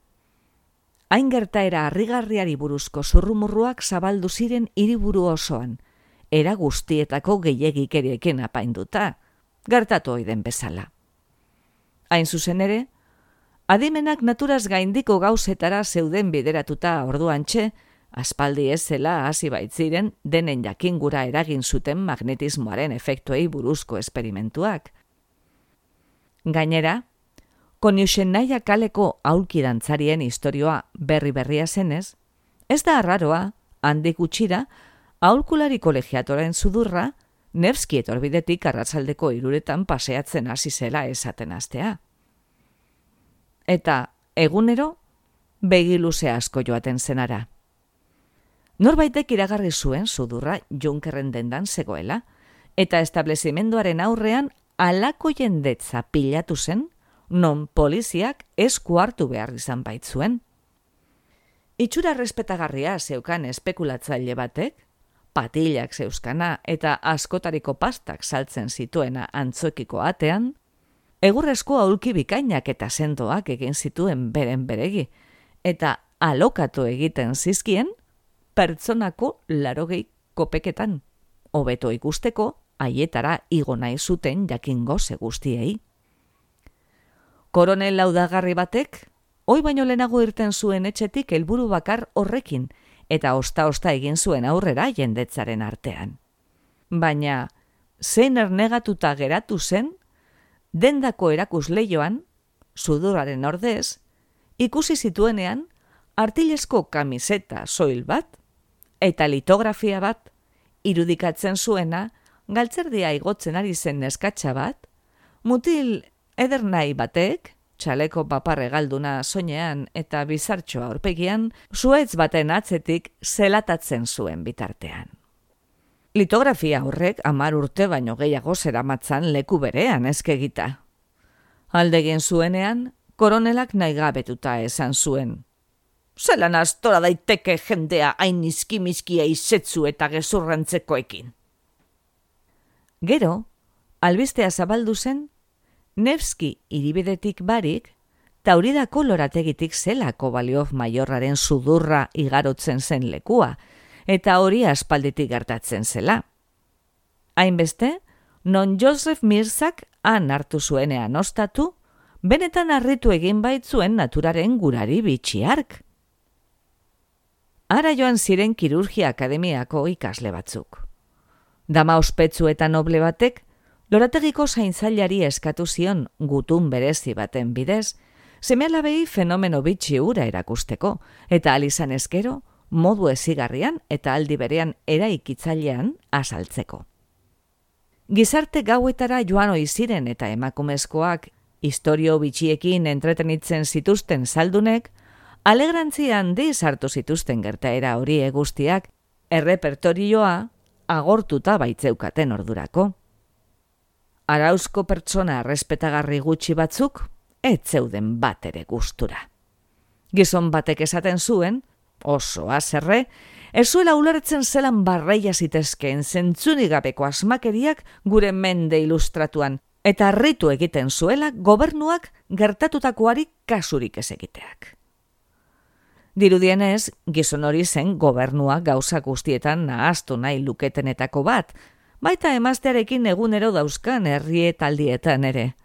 hain gertaera harrigarriari buruzko zurrumurruak zabaldu ziren hiriburu osoan, era guztietako gehiegikerieken apainduta, gertatu oiden bezala. Hain zuzen ere, adimenak naturaz gaindiko gauzetara zeuden bideratuta orduantxe, aspaldi ez zela hasi baitziren denen jakingura eragin zuten magnetismoaren efektuei buruzko esperimentuak. Gainera, Koniuxennaia kaleko aulkidantzarien istorioa berri-berria zenez, ez da arraroa, handik gutxira, aholkulari kolegiatoren sudurra, Nevski etorbidetik arratsaldeko 3 paseatzen hasi zela esaten hastea. Eta, egunero, begi luze asko joaten zenara. Norbaitek iragarri zuen sudurra Junkerren dendan zegoela, eta establezimenduaren aurrean halako jendetza pilatu zen, non poliziak esku hartu behar izan baitzuen. Itxura respetagarria zeukan espekulatzaile batek, patilak zeuzkana eta askotariko pastak saltzen zituena antzokiko atean, egurrezko aulki bikainak eta sendoak egin zituen beren beregi, eta alokatu egiten zizkien pertsonako 80 kopeketan, hobeto ikusteko haietara igo nahi zuten jakingo ze guztiei. Koronel laudagarri batek, oi baino lehenago irten zuen etxetik helburu bakar horrekin, eta osta-osta egin zuen aurrera jendetzaren artean. Baina, zein ernegatuta geratu zen, dendako erakusleioan, sudurraren ordez, ikusi zituenean, artilezko kamiseta soil bat, eta litografia bat, irudikatzen zuena, galtzerdia igotzen ari zen neskatxa bat, mutil edernai batek, txaleko paparre galduna soinean eta bizartxoa aurpegian, zuetz baten atzetik zelatatzen zuen bitartean. Litografia horrek 10 urte baino gehiago zeramatzan leku berean eskegita. Aldegin zuenean, koronelak naigabetuta esan zuen. Zelan astora daiteke jendea hain izkimizkia izetzu eta gezurrantzekoekin. Gero, albistea zabaldu zen, Nevski hiribidetik barik, Tauridako lorategitik zela Kobaliov maiorraren sudurra igarotzen zen lekua, eta hori aspalditik gertatzen zela. Hainbeste, non Joseph Mirzak han hartu zuenean ostatu, benetan harritu egin baitzuen naturaren gurari bitxiark. Ara joan ziren kirurgia akademiako ikasle batzuk. Dama ospetsu eta noble batek, lorategiko zainzailari eskatu zion gutun berezi baten bidez, seme-alabei fenomeno bitxi hura erakusteko, eta alizan eskero, modu ezigarrian eta aldi berean eraikitzailean azaltzeko. Gizarte gauetara joan ohi ziren eta emakumezkoak istorio bitxiekin entretenitzen zituzten zaldunek, alegrantzia handiz hartu zituzten gertaera hori guztiak errepertorioa agortuta baitzeukaten ordurako. Arauzko pertsona errespetagarri gutxi batzuk ez zeuden bat ere gustura. Gizon batek esaten zuen, oso haserre, ez zuela ulertzen zelan barreia zitezkeen zentzunik gabeko asmakeriak gure mende ilustratuan, eta harritu egiten zuela gobernuak gertatutakoari kasurik ez egiteak. Dirudienez, gizon hori zen gobernua gauza guztietan nahaztu nahi luketenetako bat, baita emaztearekin egunero dauzkan herrietaldietan ere.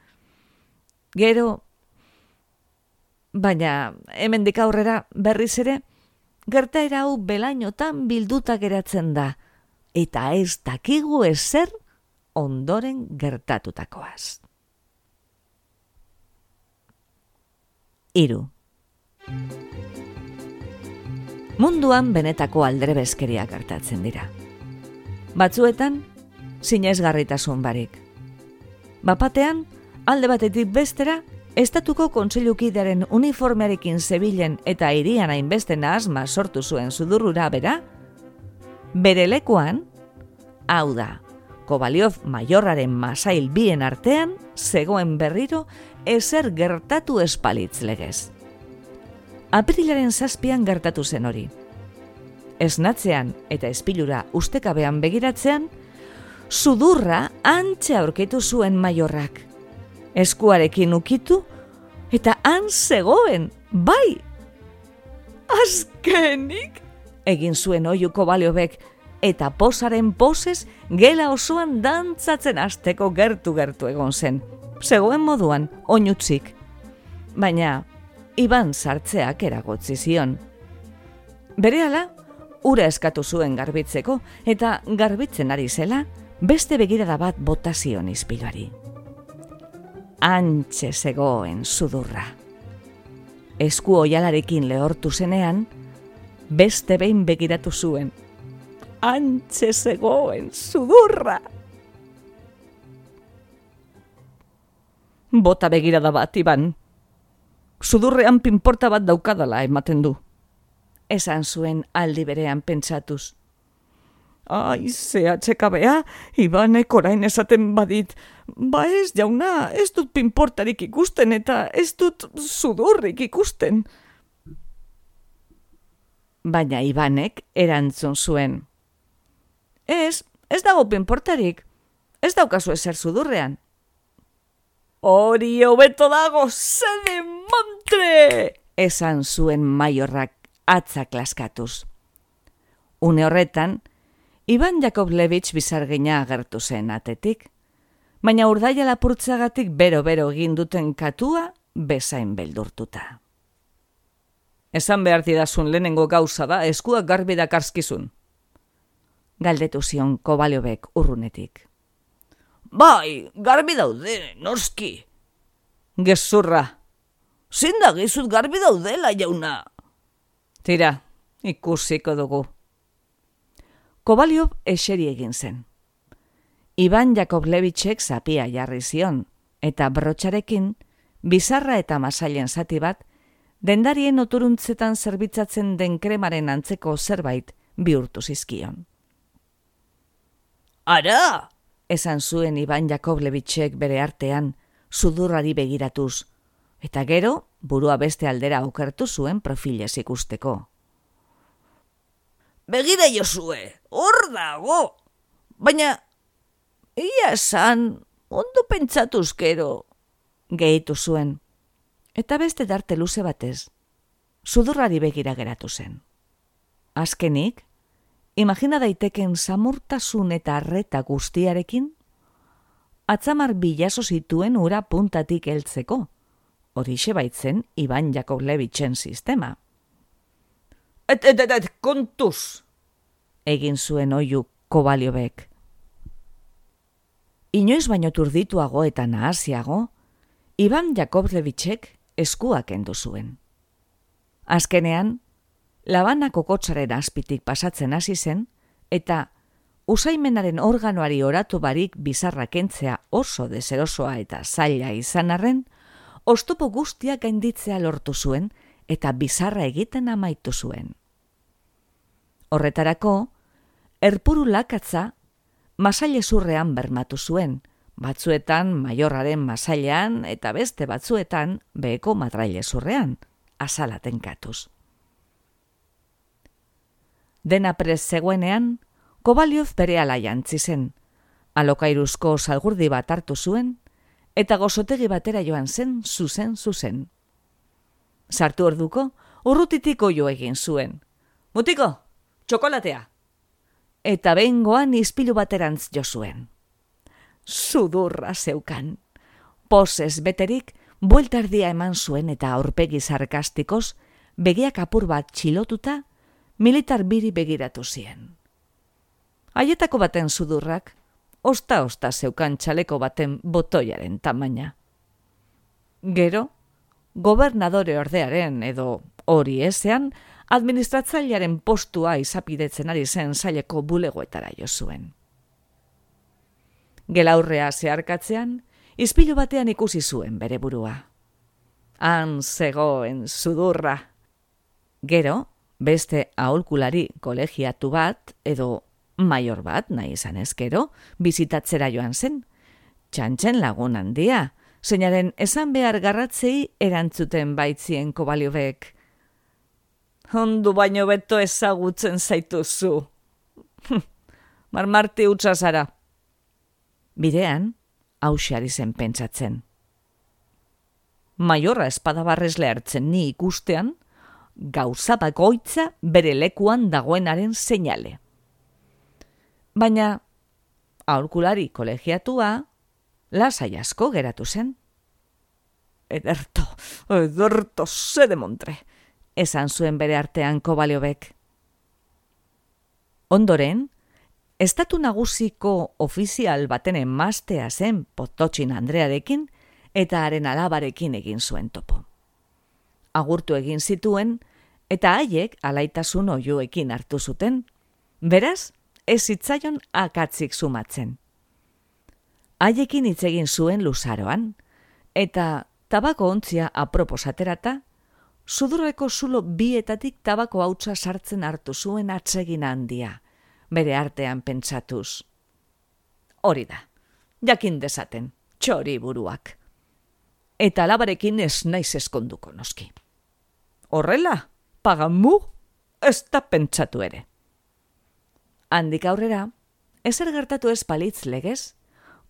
Gero, baina hemendik aurrera berriz ere, gertaera hau belainotan bilduta geratzen da, eta ez dakigu ezer ondoren gertatutakoaz. 3. Munduan benetako aldrebezkeriak gertatzen dira. Batzuetan, sinesgarritasun barik. Bapatean, alde batetik bestera, Estatuko kontseilukidearen uniformearekin zebilen eta hirian hainbeste nahasma sortu zuen sudurrura bera, bere lekuan, hau da, Kobaliov maiorraren masail bien artean, zegoen berriro ezer gertatu espalitz legez. Aprilaren 7 gertatu zen hori. Esnatzean eta espilura ustekabean begiratzean, sudurra hantxe aurkitu zuen maiorrak. Eskuarekin ukitu, eta han zegoen, bai! Azkenik! Egin zuen oihu Kobaliovek, eta posaren posez gela osoan dantzatzen hasteko gertu egon zen. Zegoen moduan, oinutzik. Baina, Iban sartzeak eragotzi zion. Berehala, ura eskatu zuen garbitzeko, eta garbitzen ari zela, beste begirada bat bota zion ispiluari. Hantxe zegoen sudurra. Esku oialarekin lehortu zenean, beste behin begiratu zuen. Hantxe zegoen sudurra. Bota begirada bat, Iban. Sudurrean pinporta bat daukadala ematen du. Esan zuen aldi berean pentsatuz. Ai, CHKBA, Ibanek orain esaten badit, ba ez jauna, ez dut pinportarik ikusten eta ez dut sudurrik ikusten. Baina Ibanek erantzun zuen. Ez dago pinportarik, ez daukazu ezer sudurrean. Hori hobeto dago, zede montre! Esan zuen maiorrak atzak laskatuz. Une horretan, Iban Jakovlevich bizargina agertu zen atetik, baina urdaia lapurtzagatik bero-bero egin duten katua bezain beldurtuta. Esan behar didazun lehenengo gauza da eskuak garbi dakarskizun. Galdetu zion Kobaliovek urrunetik. Bai, garbi daude, noski. Gezurra. Zin da gizut garbi daudela, jauna. Tira, ikusiko dugu. Kobaliov eseri egin zen. Iban Jakovlevichek zapia jarri zion, eta brotxarekin, bizarra eta masailen zati bat, dendarien oturuntzetan zerbitzatzen den kremaren antzeko zerbait bihurtu zizkion. Ara! Esan zuen Iban Jakovlevichek bere artean, sudurrari begiratuz, eta gero burua beste aldera okertu zuen profilez ikusteko. Begira Josue, hor dago! Baina, ia esan, ondo pentsatuz gero, gehitu zuen, eta beste darte luze batez, sudurrari begira geratu zen. Azkenik, imagina daiteken samurtasun eta arreta guztiarekin, atzamar bilazo zituen ura puntatik heltzeko, horixe baitzen Iban Jakovlevichen sistema. Kontuz! Egin zuen oihu Kobaliovek. Inoiz baino turdituago eta nahasiago, Iban Jakovlevichek eskuak kendu zuen. Azkenean, labana kokotzaren azpitik pasatzen hasi zen, eta usaimenaren organoari oratu barik bizarra kentzea oso deserosoa eta zaila izan arren, oztopo guztiak gainditzea lortu zuen eta bizarra egiten amaitu zuen. Horretarako, erpuru lakatza masailezurrean bermatu zuen, batzuetan maiorraren masailean eta beste batzuetan beheko matrailezurrean, azala tenkatuz. Dena prest zegoenean, Kovalyov berehala jantzi zen, alokairuzko salgurdi bat hartu zuen, eta gozotegi batera joan zen zuzen. Sartu orduko, urrutitik oio egin zuen. Mutiko, txokolatea! Eta behingoan ispilu baterantz jo zuen. Sudurra zeukan. Pozez beterik, bueltardia eman zuen eta aurpegi sarkastikoz, begiak apur bat txilotuta, militar biri begiratu zien. Haietako baten sudurrak, osta zeukan txaleko baten botoiaren tamaina. Gero, gobernadore ordearen edo hori ezean, administratzailearen postua izapidetzen ari zen saileko bulegoetara jo zuen. Gelaurrea zeharkatzean, ispilu batean ikusi zuen bere burua. Han zegoen sudurra. Gero, beste aholkulari kolegiatu bat edo maior bat nahi izan ezkero, bizitatzera joan zen. Txantxen lagun handia, zeinaren esan behar garratzei erantzuten baitzien Kovalyovek. Ondu baino beto ezagutzen zaituzu. Marmarti utza zara. Bidean, hauxe ari zen pentsatzen. Maiorra espadabarrez lehartzen ni ikustean, gauza bakoitza bere lekuan dagoenaren seinale. Baina, aholkulari kolegiatua, lasai asko geratu zen. Ederto, ze demontre, esan zuen bere artean Kovalyovek. Ondoren, estatu nagusiko ofizial baten emaztea zen Potocin Andrearekin eta haren alabarekin egin zuen topo. Agurtu egin zituen eta haiek alaitasun oioekin hartu zuten, beraz, ez zitzaion akatzik sumatzen. Haiekin hitz egin zuen luzaroan, eta tabako ontzia aproposaterata, sudurreko zulo bietatik tabako hautsa sartzen hartu zuen atsegin handia, bere artean pentsatuz. Hori da, jakin dezaten, txori buruak. Eta alabarekin ez naiz eskonduko noski. Horrela, pagamu, ez da pentsatu ere. Handik aurrera, ezer gertatu ez palitz legez,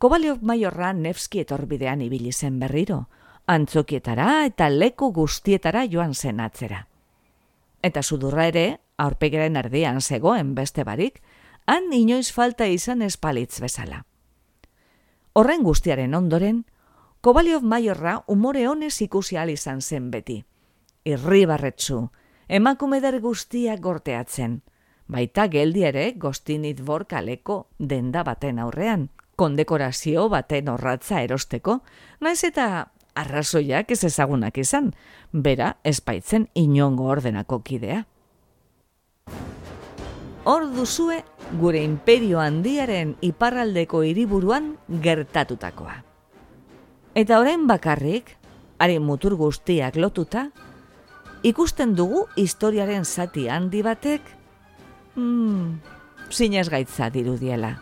Kovalyov maiorra Nevski etorbidean ibili zen berriro, antzokietara eta leku guztietara joan zen atzera. Eta sudurra ere, aurpegaren erdian zegoen beste barik, han inoiz falta izan ez palitz bezala. Horren guztiaren ondoren, Kovalyov maiorra umore honez ikusi ahal izan zen beti. Irribarretsu, emakumeder guztiak gorteatzen, baita geldi ere Gostinit Dvor kaleko denda baten aurrean, kondekorazio baten orratza erosteko, naiz eta arrazoiak ez ezagunak izan, bera ezpaitzen inongo ordenako kidea. Hor duzue gure imperio handiaren iparraldeko hiriburuan gertatutakoa. Eta orain bakarrik, haren mutur guztiak lotuta, ikusten dugu historiaren zati handi batek, sinesgaitza dirudiela.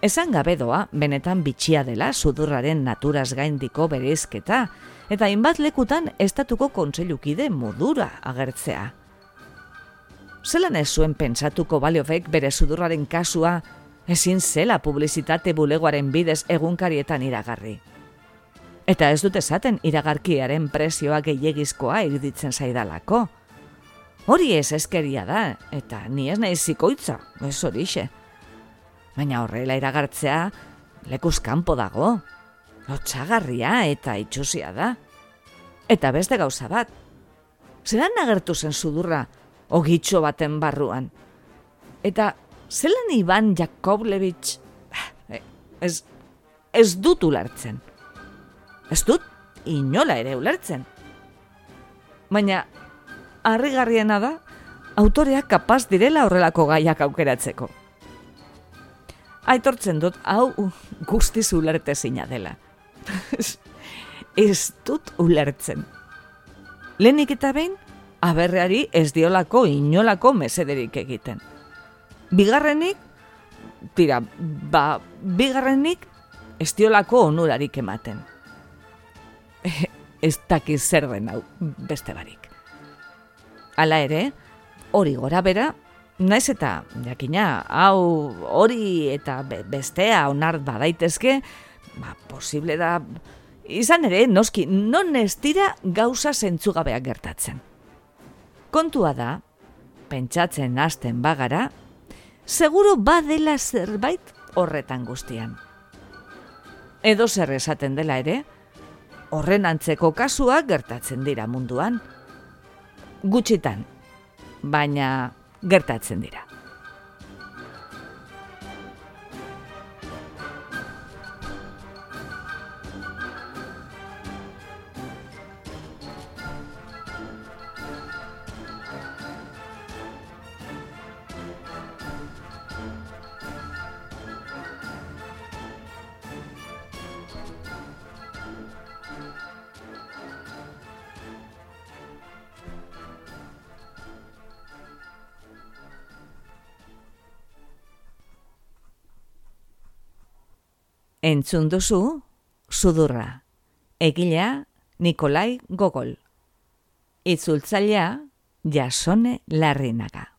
Esan gabe doa, benetan bitxia dela sudurraren naturaz gaindiko bereizketa, eta hainbat lekutan estatuko kontseilukide modura agertzea. Zelan ez zuen pentsatu Kovalyovek bere sudurraren kasua, ezin zela publizitate bulegoaren bidez egunkarietan iragarri. Eta ez dut esaten iragarkiaren prezioa gehiegizkoa iruditzen zaidalako. Hori ez eskeria da, eta ni ez naiz zikoitza, ez horixe. Baina horrela iragartzea lekuz kanpo dago, lotsagarria eta itxusia da. Eta beste gauza bat, zelan agertu zen sudurra ogitxo baten barruan? Eta zelan Ivan Yakovlevich, ez dut ulertzen. Ez dut inola ere ulertzen. Baina harrigarriena da, autoreak kapaz direla horrelako gaiak aukeratzeko. Aitortzen dut, hau guztiz ulertezina dela. Ez dut ulertzen. Lehenik eta behin, aberreari ez diolako inolako mesederik egiten. Bigarrenik ez diolako onurarik ematen. Ez dakiz zer den hau beste barik. Hala ere, hori gora bera, naiz eta jakina hau hori eta bestea onar badaitezke, posible da, izan ere, noski, non ez dira gauza zentzugabeak gertatzen. Kontua da, pentsatzen hasten bagara, seguru badela zerbait horretan guztian. Edo zer esaten dela ere, horren antzeko kasuak gertatzen dira munduan. Gutxitan, baina gertatzen dira. Entzun duzu, Sudurra. Egilea, Nikolai Gogol. Itzultzailea, Jasone Larrinaga.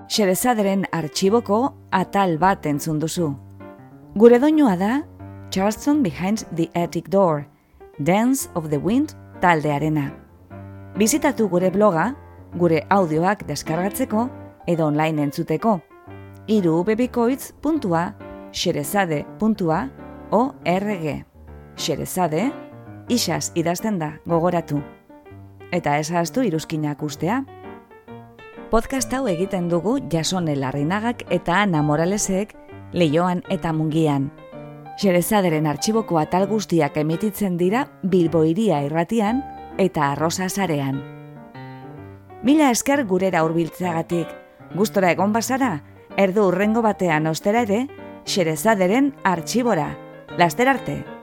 Xerezaderen artxiboko atal bat entzun duzu. Gure doinua da Charleston Behind the Attic Door, Dance of the Wind taldearena. Bizitatu gure bloga, gure audioak deskargatzeko edo online entzuteko. irubebikoitz.xerezade.org. Xerezade, isaz idazten da, gogoratu. Eta ez ahaztu iruzkinak ustea. Podcast hau egiten dugu Jasone Larrinagak eta Ana Moralesek Leioan eta Mungian. Xerezaderen artxiboko atal guztiak emititzen dira Bilbo Hiria irratian eta Arrosa sarean. Mila esker gurera hurbiltzeagatik. Gustora egon bazara, erdu hurrengo batean ostera ere, Xerezaderen artxibora. Laster arte!